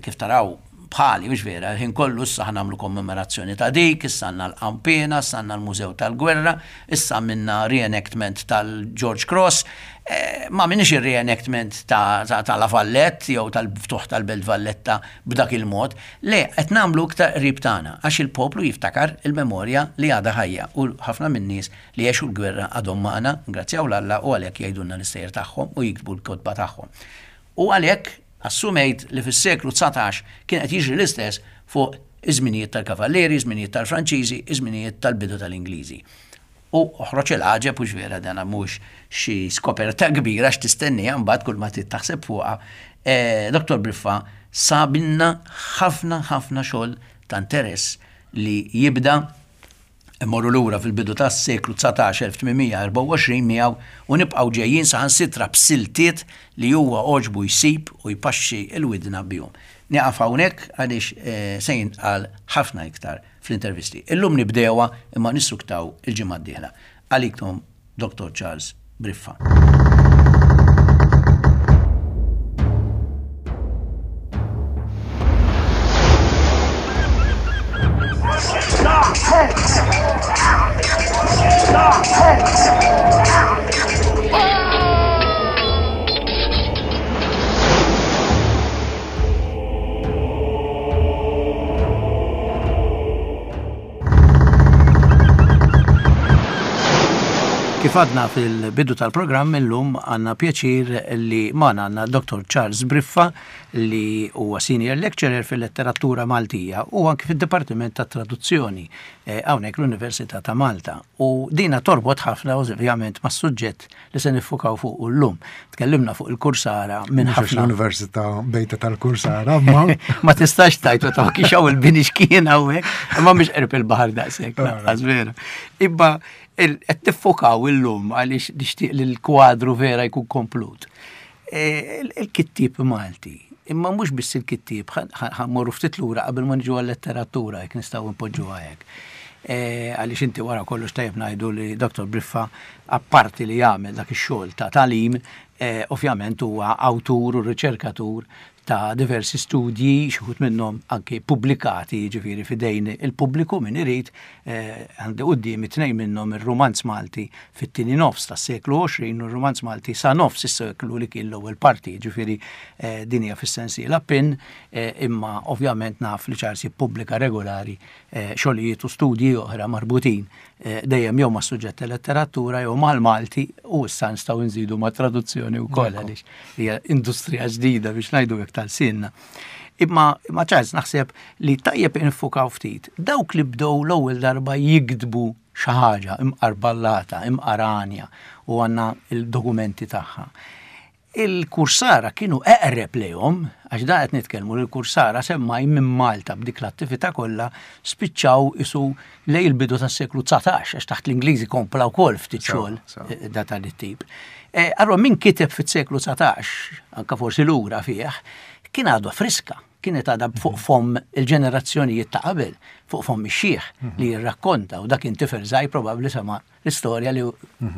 Kif taraw bħali, mhux vera, il-ħin kollu issa ħa nagħmlu kommemorazzjoni ta' dik, issa għandna l-Qampina, issa għandna l-Mużew tal-Gwerra, issa għamilna reenactment tal-George Cross, eh, ma minix il-reenactment ta', ta', ta' La Vallette jew tal-ftuħ tal-Belt Valletta b'dak il-mod, le, qed nagħmlu iktar qrib tagħna għax il-poplu jiftakar il-memorja li għadha ħajja u ħafna min-nies li għexu l-gwerra għadhom magħna, ngrazzjaw l-Alla u għalhekk jgħidulna l-istejjer tagħhom u jiktbu l-kotba tagħhom. U għalhekk assumejt li fis-seklu dsatax kien qed jiġri l-istess fuq iż-żminijiet tal-Kavallieri, iż-żminijiet tal-Franċiżi, iż-żminijiet tal-bidu tal-Ingliżi. U oħroġ il-għaġeb, u vera dana mhux xi skoperta kbira x'tistennija mbagħad kull ma trid taħseb fuqha. Eh, Doktor Briffa sabilna ħafna ħafna xogħol ta' interess li jibda immorru lura fil-bidu tas-seklu dsatax, elf tmien mija erbgħa u għoxrin miegħu u nibqgħu ġejjin saħansitra b'siltiet li huwa għoġbu jsib u jpaxxi l-widna bihom. Nieqaf hawnhekk għaliex, eh, se jintqal ħafna iktar fl-intervisti. Illum nibdewha imma nissuktaw il-ġimgħa d-dieħla. Għalikom Doktor Charles Briffa. Kif għadna fil-bidu tal-programm illum għandna pjaċir li magħna għandna Doktor Charles Briffa li huwa senior lecturer fil-letteratura Maltija u anki fid-Dipartiment tat Traduzzjoni, eh, hawnhekk l-Università ta' Malta. U dina torbot ħafna ovvjament mas-suġġett li se niffukaw fuq llum. Tkellimna fuq il-Kursara minn Mhux għax ħafna l-Università bejta tal-Kursara, ma Ma tistax tajtu ta' kif hawn il-bini x'kien hawnhekk, imma mhux qrib il-baħar daqshekk, Ara. lanqas vera. Imma il-, qed tiffokaw illum għaliex nixtieq li l-kwadru vera jkun komplut. E, il-, il-kittieb Malti, imma mhux biss il-kittieb, ħa-, ħa-, ħa mmorru ftit lura qabel ma niġu għal-letteratura, jekk nistgħu npoġġuha hekk. E, għaliex inti wara kollox tajjeb ngħidu li Doktor Briffa, apparti li jagħmel dak ix-xogħol ta' tagħlim, e, ovvjament huwa awtur u riċerkatur ta' diversi studji, xi wħud minnhom anke pubblikati, jiġifieri f'idejn il-pubbliku min irid, eh, għandi qudiem it-tnejn minnhom ir-Rumanz Malti fit-tieni nofs tas-seklu għoxrin u r-Rumanz Malti sa nofs is-seklu li kien l-ewwel parti, jiġifieri, eh, din hija fis-sensiela pin, eh, imma ovvjament naf li Charles jippubblika regolari, eh, xogħlijiet u studji oħra marbutin, eh, dejjem jew mas-suġġett tal-letteratura jew mal-Malti u issa nistgħu nżidu ma' traduzzjoni wkoll Ekku. għaliex hija industrija ġdida biex ngħidu hekk tal-sinna. Imma, imma Charles naħseb li tajjeb infukaw ftit dawk li bdew l-ewwel darba jiktbu xi ħaġa imqarballata, imqaranja u għandna il-dokumenti tagħha. Il-kursara kienu eqreb lejhom, għax da qed nitkellmu li l-kursara semmaj minn Malta b'dik l-attività kollha spiċċaw isu lej il-bidu tas-seklu dsatax, għax taħt l-Ingliżi kompla wkoll ftit Sewa, xogħol, sewa. eh, da tal-tip. Eh, allora min kiteb fis-seklu dsatax, anka forsi lura fih, kien għadu friska, kienet għadha fuq fomm il-ġenerazzjonijiet ta' qabel, fuq fomm ix-xiħ li jirrakkonta, u dak kien tifel żgħir probabbli sema l-istorja li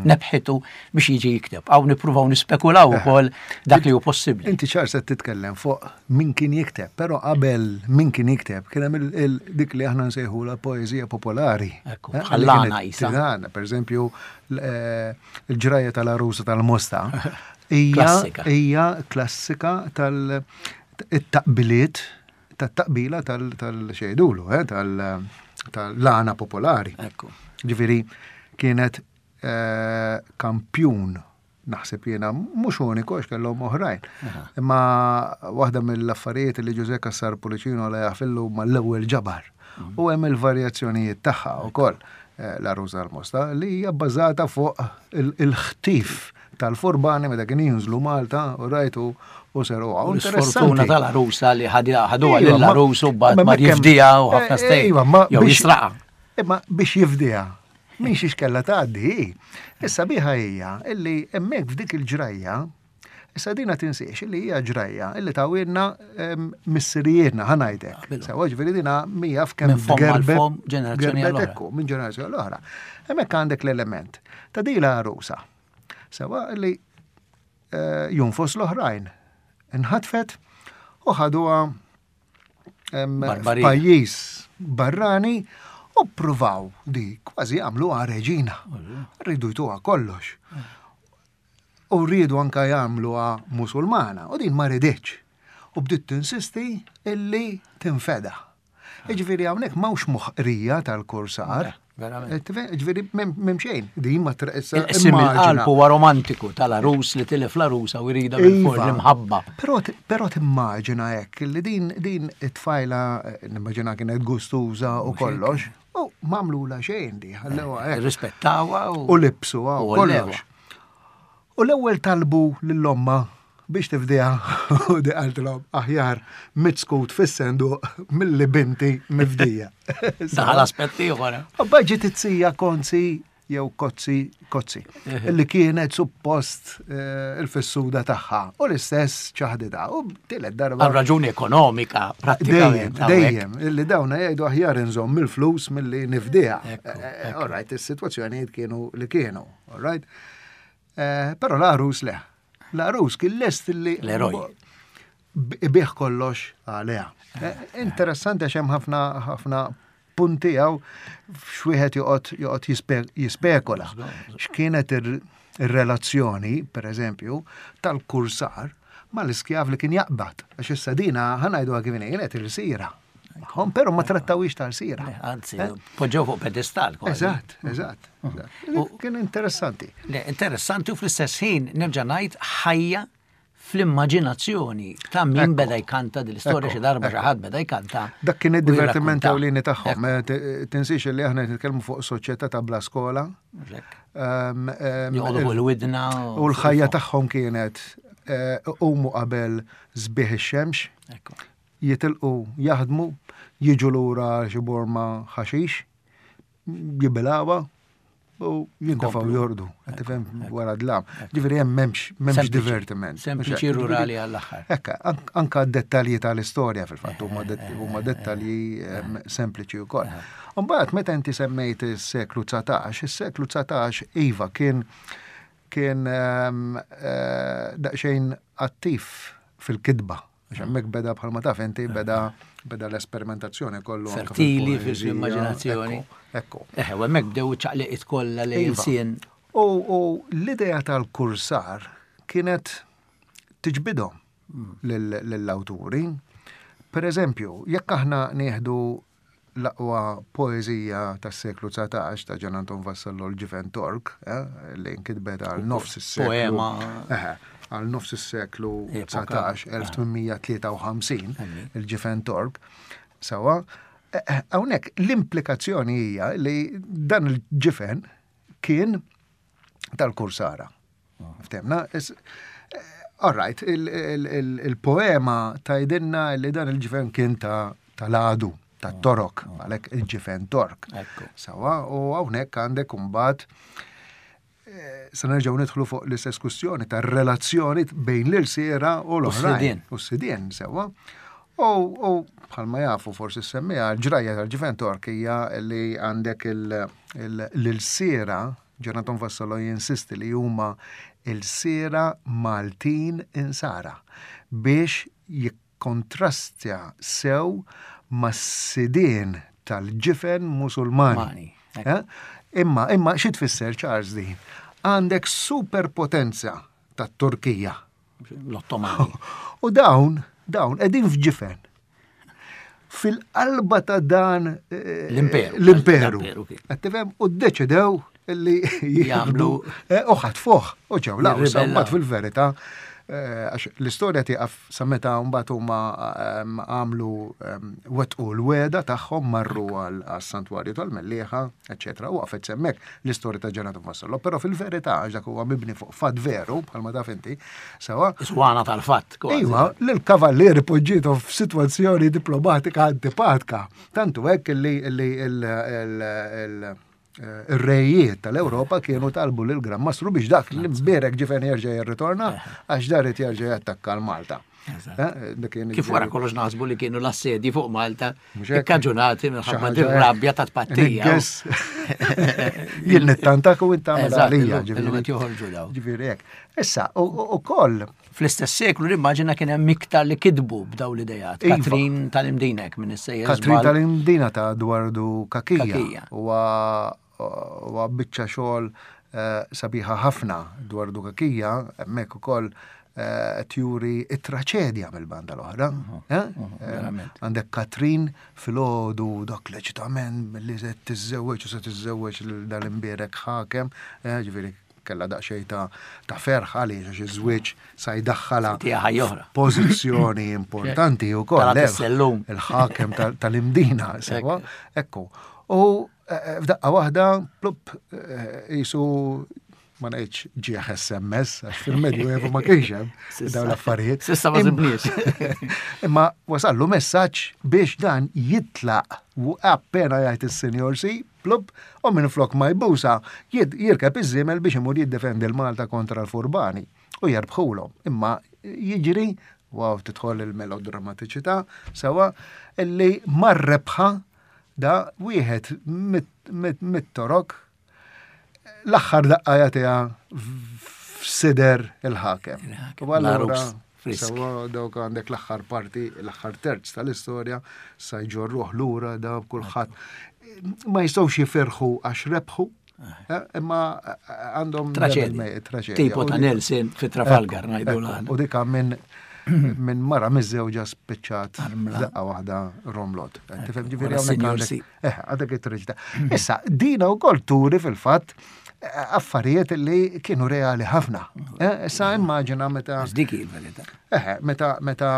nebħitu biex jiġi jikteb. Hawn nippruvaw nispekulaw ukoll dak li hu possibbli. Inti ċar se titkellem fuq min kien jikteb, però qabel min kien jikteb kien hemm il-, il-, dik li aħna nsejħu la poeżija popolari. Ekku, Eh, bħal li lana kienet isa. Tirana, per eżempju, l-, eh, il-ġrajja tal-Arusa tal-Mosta. Hija Klassika. hija klassika tal-taqbiliet, tat-taqbila tal-, tal-xejdulu, eh, tal-, tal-lana popolari. Ekku. Ġifieri kienet, eh, kampjun Naħseb jiena mhux uniku għax kellhom oħrajn. Imma waħda mill-affarijiet li Ġużè Cassar Pullicino la jafillu mal-ewwel ġabar. U hemm il-varjazzjonijiet tagħha wkoll eh, l-Għarusa tal-Mosta li hija bbażata fuq il-ħtif tal-furbani meta kien jinżlu Malta u rajtu u seruha. U l-sfortuna tal-għarusa li ħaduha lill-għarus u bad ma jifdiha u ħafna stej. Jew jisraqa. Imma biex jifdiha. Min xiex kella tgħaddi. Issa biħa hija illi hemmhekk f'dik il-ġrajja, issa dina tinsiex illi hija ġrajja illi tawilna missirijietna ħa ngħidlek. Sewa ġifieri dina mija f'kemm ġenerazzjoni l-oħra. Minn ġenerazzjoni l-oħra. Hemmhekk għandek l-element ta' dila għarusa. Sewa illi jonfos l-oħrajn. Inħatfet u ħaduha f'pajjiż barrani u ppruvaw di kważi għamluha reġina. Rridu jtuha kollox. U rridu anka jagħmluha Musulmana u din ma riditx. U bdiet tinsisti illi tinfeda. Jiġifieri hawnhekk m'hawnx moħqrija tal-kursar. Ġifieri m'hemm xejn. Din ma issa Il-qsim il-qalb huwa romantiku tal-għarus li tilef l-għarusa u jridha bil-for l-imħabba. Però timmaġina hekk li din din it-tfajla nimmaġina kienet gustuża u kollox. U m'għamlula xejn di, ħallewha hekk. Rispettawha u libsuha u kollox. U l-ewwel talbu lill-omma biex tifdiha u di qaltilhom aħjar mitskut fis-senduq milli binti mifdija. Daħal aspett ieħor. U ġiet it-sija Konzi jew Kozzi Kozzi illi kienet suppost il-fissuda tagħha u l-istess ċaħditha u tielet darba. Għal raġuni ekonomika prattikament. Dejjem, illi dawna jgħidu aħjar inżomm il-flus milli nifdiha. All right, is-sitwazzjonijiet kienu li kienu, all right. Però l-għarus le. L-għarus kien lest li l-eroj ibigħ kollox għaliha. Interessanti għax hemm ħafna ħafna punti għaw x'wieħed joqgħod joqgħod jispekola. X'kienet ir-relazzjoni, per eżempju, tal-kursar mal-iskjav li kien jaqbad. Għax issa dina ħa ngħiduha kif kienet il-sira. Magħhom, però ma trattawix tal-sira. Anzi, poġġew fuq pedestal. Eżatt, eżatt. Kien interessanti. Le, interessanti u fl-istess ħin nerġa' ngħid ħajja fl-immaġinazzjoni ta' min beda jkanta dil-istorja xi darba xi ħadd beda jkanta. Dak kien id-divertiment ewlieni tagħhom. Tinsiex li aħna nitkellmu fuq soċjetà ta' bla skola. Joqogħdu fuq il-widna. U l-ħajja tagħhom kienet umu qabel sbieħ ix-xemx. Jitilqu jaħdmu, jiġu lura xi borma ħaxix, jibilgħuha u jintafgħu jordu, qed tifhem wara dlam. Ġifieri hemm m'hemmx m'hemmx divertiment. Sempliċi rurali għall-aħħar. Ekka, anka d-dettalji tal-istorja fil-fatt huma dettalji sempliċi wkoll. Imbagħad meta inti semmejt is-seklu dsatax, is-seklu dsatax iva kien kien daqsxejn attiv fil-kitba. Għax hemmhekk beda bħalma taf inti beda beda l-esperimentazzjoni kollu. Fertili fil-immaġinazzjoni. Ekku. Eħe, u hemmhekk bdew ċaqliqiet kollha li l-sien. U l-idea tal-kursar kienet tiġbidhom lill-awturi. Per eżempju, jekk aħna nieħdu l-aqwa poeżija tas-seklu dsatax ta' Ġan Anton Vassallo l-Ġifen Tork, li nkitbet għal nofs is-seklu. Poema. Eħe, għal nofs is-seklu dsatax, elf tmien tlieta u ħamsin, il-Ġifen Tork. Sawa, hawnhekk l-implikazzjoni hija li dan il-ġifen kien tal-kursara. Ftemna? All right, il-poema tajdinna li dan il-ġifen kien tal-għadu, tat-torok, għalhekk il-ġifen Tork. Sawa, u hawnhekk għandek imbagħad se nerġgħu nidħlu fuq l-istess kwistjoni tar-relazzjoni bejn l-irsiera u l-oħrajn. U s-sidien, sewwa. U bħalma jafu forsi semmija, l-ġrajja tal-ġifen Tork hija li għandek l-irsiera, Ġan Anton Vassallo jinsisti li huma l-siera Maltin insara biex jikkontrastja sew mas-sidien tal-ġifen Musulmani. Imma, imma xi tfisser Charles din? Għandek superpotenza tat-Turkija. L-Ottomani. U dawn, dawn qegħdin f'ġifen. Fil-qalba ta' dan l-imperu. L-imperu. Qed tifhem? U ddeċidew illi jagħmlu eh, u ħatfuh u ġew l-Awsa mbagħad fil-verità eh, għax l-istorja tieqaf sa meta mbagħad huma ehm, għamlu ehm, wettqu l-weda tagħhom marru għas-santwarju tal-Mellieħa, eċetera, u waqfet s'hemmhekk l-istorja ta' Ġenatu Vassallo, però fil-verità għax dak huwa mibni fuq fatt veru bħalma taf inti, sewa. Swana tal-fatt. Iva, l-kavallieri poġġietu f'sitwazzjoni diplomatika antipatika. Tantu hekk li il- ir-rejiet tal-Ewropa kienu talbu lil Gran Mastru biex dak l-imbierek ġifen jerġa' jirritorna għax dan irid jerġa' jattakka l-Malta. Eh, Kif wara kollox naħsbu li kienu l-assedji fuq Malta ikkaġunati minħabba dir-rabja ta' tpattija. Jien nittantak u inta għalija. Joħorġu daw. Ġifieri hekk. Issa, ukoll Fl-istess seklu nimmaġina kien hemm iktar li kitbu b'daw l-idejat. Iva. Katrin tal-Imdinek minn is-sejjer. Katrin tal-Imdina ta' Dwardu Kakija. Kakija. Huwa biċċa xogħol eh, sabiħa ħafna Dwardu Kakija, hemmhekk ukoll eh, tjuri it-traċedja mill-banda l-oħra. Eh? verament. Għandek Katrin filgħodu dak l-eċitament li se tiżżewweġ u se tiżżewweġ lil dal-imbierek ħakem, eh, ġifieri kella daqsxejn ta' ta' ferħ għaliex għax iż-żwieġ sa jdaħħalha Tiegħha ħajja oħra. pożizzjoni importanti wkoll. Talat eh, is-sellum. Il-ħakem tal- tal-Imdina, sewa. Ekku. U eh, f'daqqa waħda, plup, eh, jisu ma ngħidx ġieħ S M S, għax fil-Medju ma kienx hemm dawn l-affarijiet. S'issa ma Imma- sibniex. Imma wasallu messaġġ biex dan jitlaq u appena jgħid is-Sinjor Si, plup, u minn flok ma jbusa, jid- jirkeb iż-żiemel biex imur jiddefendi l-Malta kontra l-Furbani u jerbħulhom. Imma jiġri, wow, tidħol il-melodrammatiċità, sewa, illi mar-rebħa da wieħed mit-torok l-aħħar daqqa jagħtiha f'sider il-ħakem. Il-ħakem, U allura, l-għarus frisk. Sewa dawk għandek l-aħħar parti, l-aħħar terz tal-istorja, sa jġorruh lura da kulħadd. Ma jistgħux jifirħu għax rebħu, eh, imma għandhom Traċedja. traċedja. Tipo U ta' dik- Nelson fi Trafalgar Ekku, ngħidu ekku. l U dika minn minn mara miżżewġa spiċċat Armla. daqqa waħda romlot. Tifhem ġifieri wara hawnhekk Sinjor għandek- Si. Eh, għandek it-traġedja. Issa, dina wkoll turi fil-fatt eh, affarijiet li kienu reali ħafna. Eh, Issa immaġina meta Dik hi l-verità. Eh, meta meta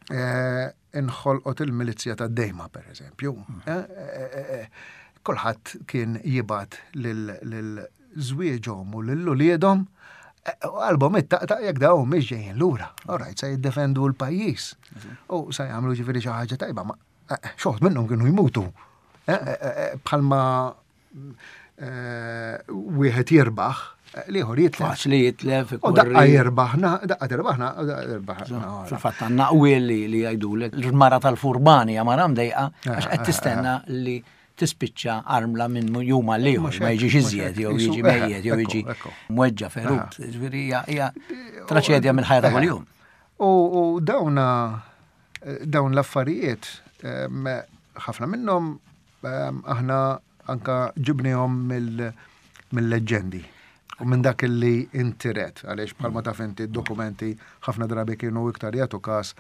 eh, inħolqot il-milizja ta' Dejma, per eżempju. Eh, eh, eh, Kulħadd kien jibgħat lil żwieġhom u lil uliedhom eh, u qalbhom ittaqtaq jekk dawn mhix ġejjin lura. Alright, se jiddefendu l-pajjiż. U se jagħmlu ġifieri xi ħaġa tajba, ma eh, xi minnhom kienu jmutu. Eh, eh, eh, Bħalma eh, wieħed jirbaħ, eh, l-ieħor jitlef. Faċli jitlef. U daqqa jirbaħna, daqqa tirbaħna, u daqqa tirbaħna. Fil-fatt għandna qwiel li li jgħidulek l-mara tal-furbani hija mara mdejqa għax Eh, qed tistenna li tispiċċa armla minn jum għal ieħor, Mhux ma hekk, jiġix mhux iżjed, hekk. jew Jisu- jiġi eh, mejjet, jew ekku, jiġi ekku. mweġġa ferut. Ġifieri hija hija traċedja mill-ħajja ta' kuljum. U u dawna dawn l-affarijiet em, ħafna minnhom em, aħna anka ġibnihom mill- mill-leġendi u minn dak li intiret, għaliex bħalma taf inti dokumenti ħafna drabi kienu iktar jagħtu każ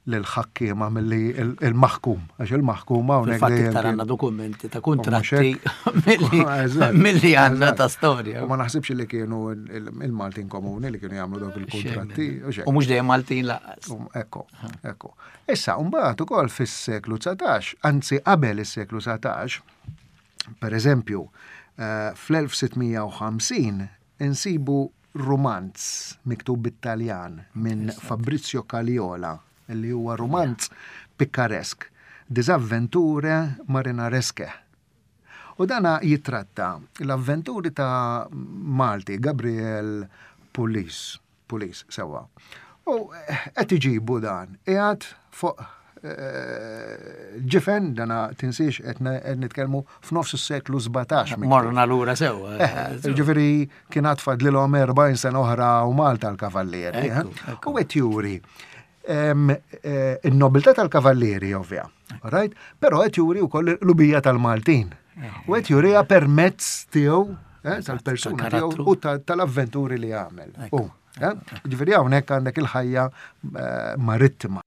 lil-ħakkiema milli il- il-maħkum, għax il-maħkum hawnhekk Fil-fatt dejjem iktar kien- għandna dokumenti ta' U mhux kuntratti hekk. milli Eżatt, milli għandna eżatt. ta' storja. U ma naħsibx li kienu il- il-Maltin komuni li kienu jagħmlu dawk il-kontratti. u xejn. U mhux dejjem Maltin lanqas. Um, Ekku, ekku. Issa, mbagħad ukoll fis-seklu dsatax, anzi qabel is-seklu dsatax, per eżempju, eh, fl-elf sitt mija u ħamsin insibu romanz miktub bit-Taljan minn Fabrizio Caliola, li huwa romanz pikkaresk, Disavventure Marinaresche. U dana jitratta l-avventuri ta' Malti, Gabriel Pulis, Pulis, sewa. U eh, qed iġibu dan, qiegħed fuq eh, ġifen, dana tinsiex qed ne- qed nitkellmu f'nofs is-seklu sbatax. miktub. Morna lura sew. Eh, Ġifieri kien għad fadlilhom erbgħin sena oħra u Malta l-kavallieri. eh. Ekku, ekku. U qed juri em, eh, in-nobiltà tal-kavallieri, ovvja. Right? Però qed juri wkoll l-ubija tal-Maltin. U qed juriha permezz tiegħu eh, tal-persuna tiegħu tal-karattru. u ta- tal-avventuri li għamel. U, eh, Ġifieri hawnhekk għandek il-ħajja eh, marittima.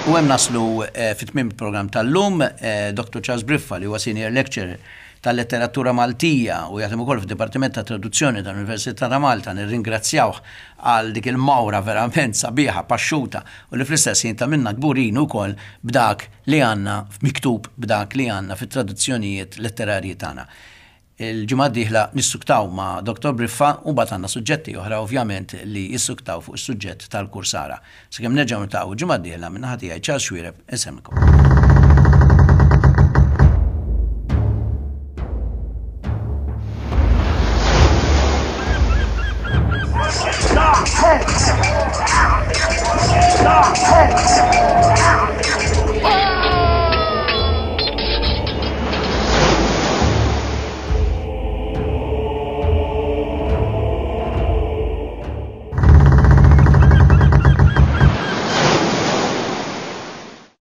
U hemm naslu eh, fit-tmiem il-programm tal-lum, eh, Dottor Charles Briffa li huwa senior lecturer tal-letteratura Maltija u jaħdem ukoll fid-Dipartiment ta' Traduzzjoni tal-Università ta' Malta, nirringrazzjawh għal dik il-mawra verament sabiħa, paxxuta, u li fl-istess ħin ta' minna kburin ukoll b'dak li għandna miktub, b'dak li għandna fit-traduzzjonijiet letterarji tagħna. Il-ġimgħa d-dieħla nissuktaw ma' Dottor Briffa u mbagħad għandna suġġetti oħra ovvjament li jissuktaw fuq is-suġġett tal-kursara. Sakemm nerġgħu niltaqgħu ġimgħa d-dieħla minn naħa tiegħi Charles Xuereb insemmilkom. Stop! Stop!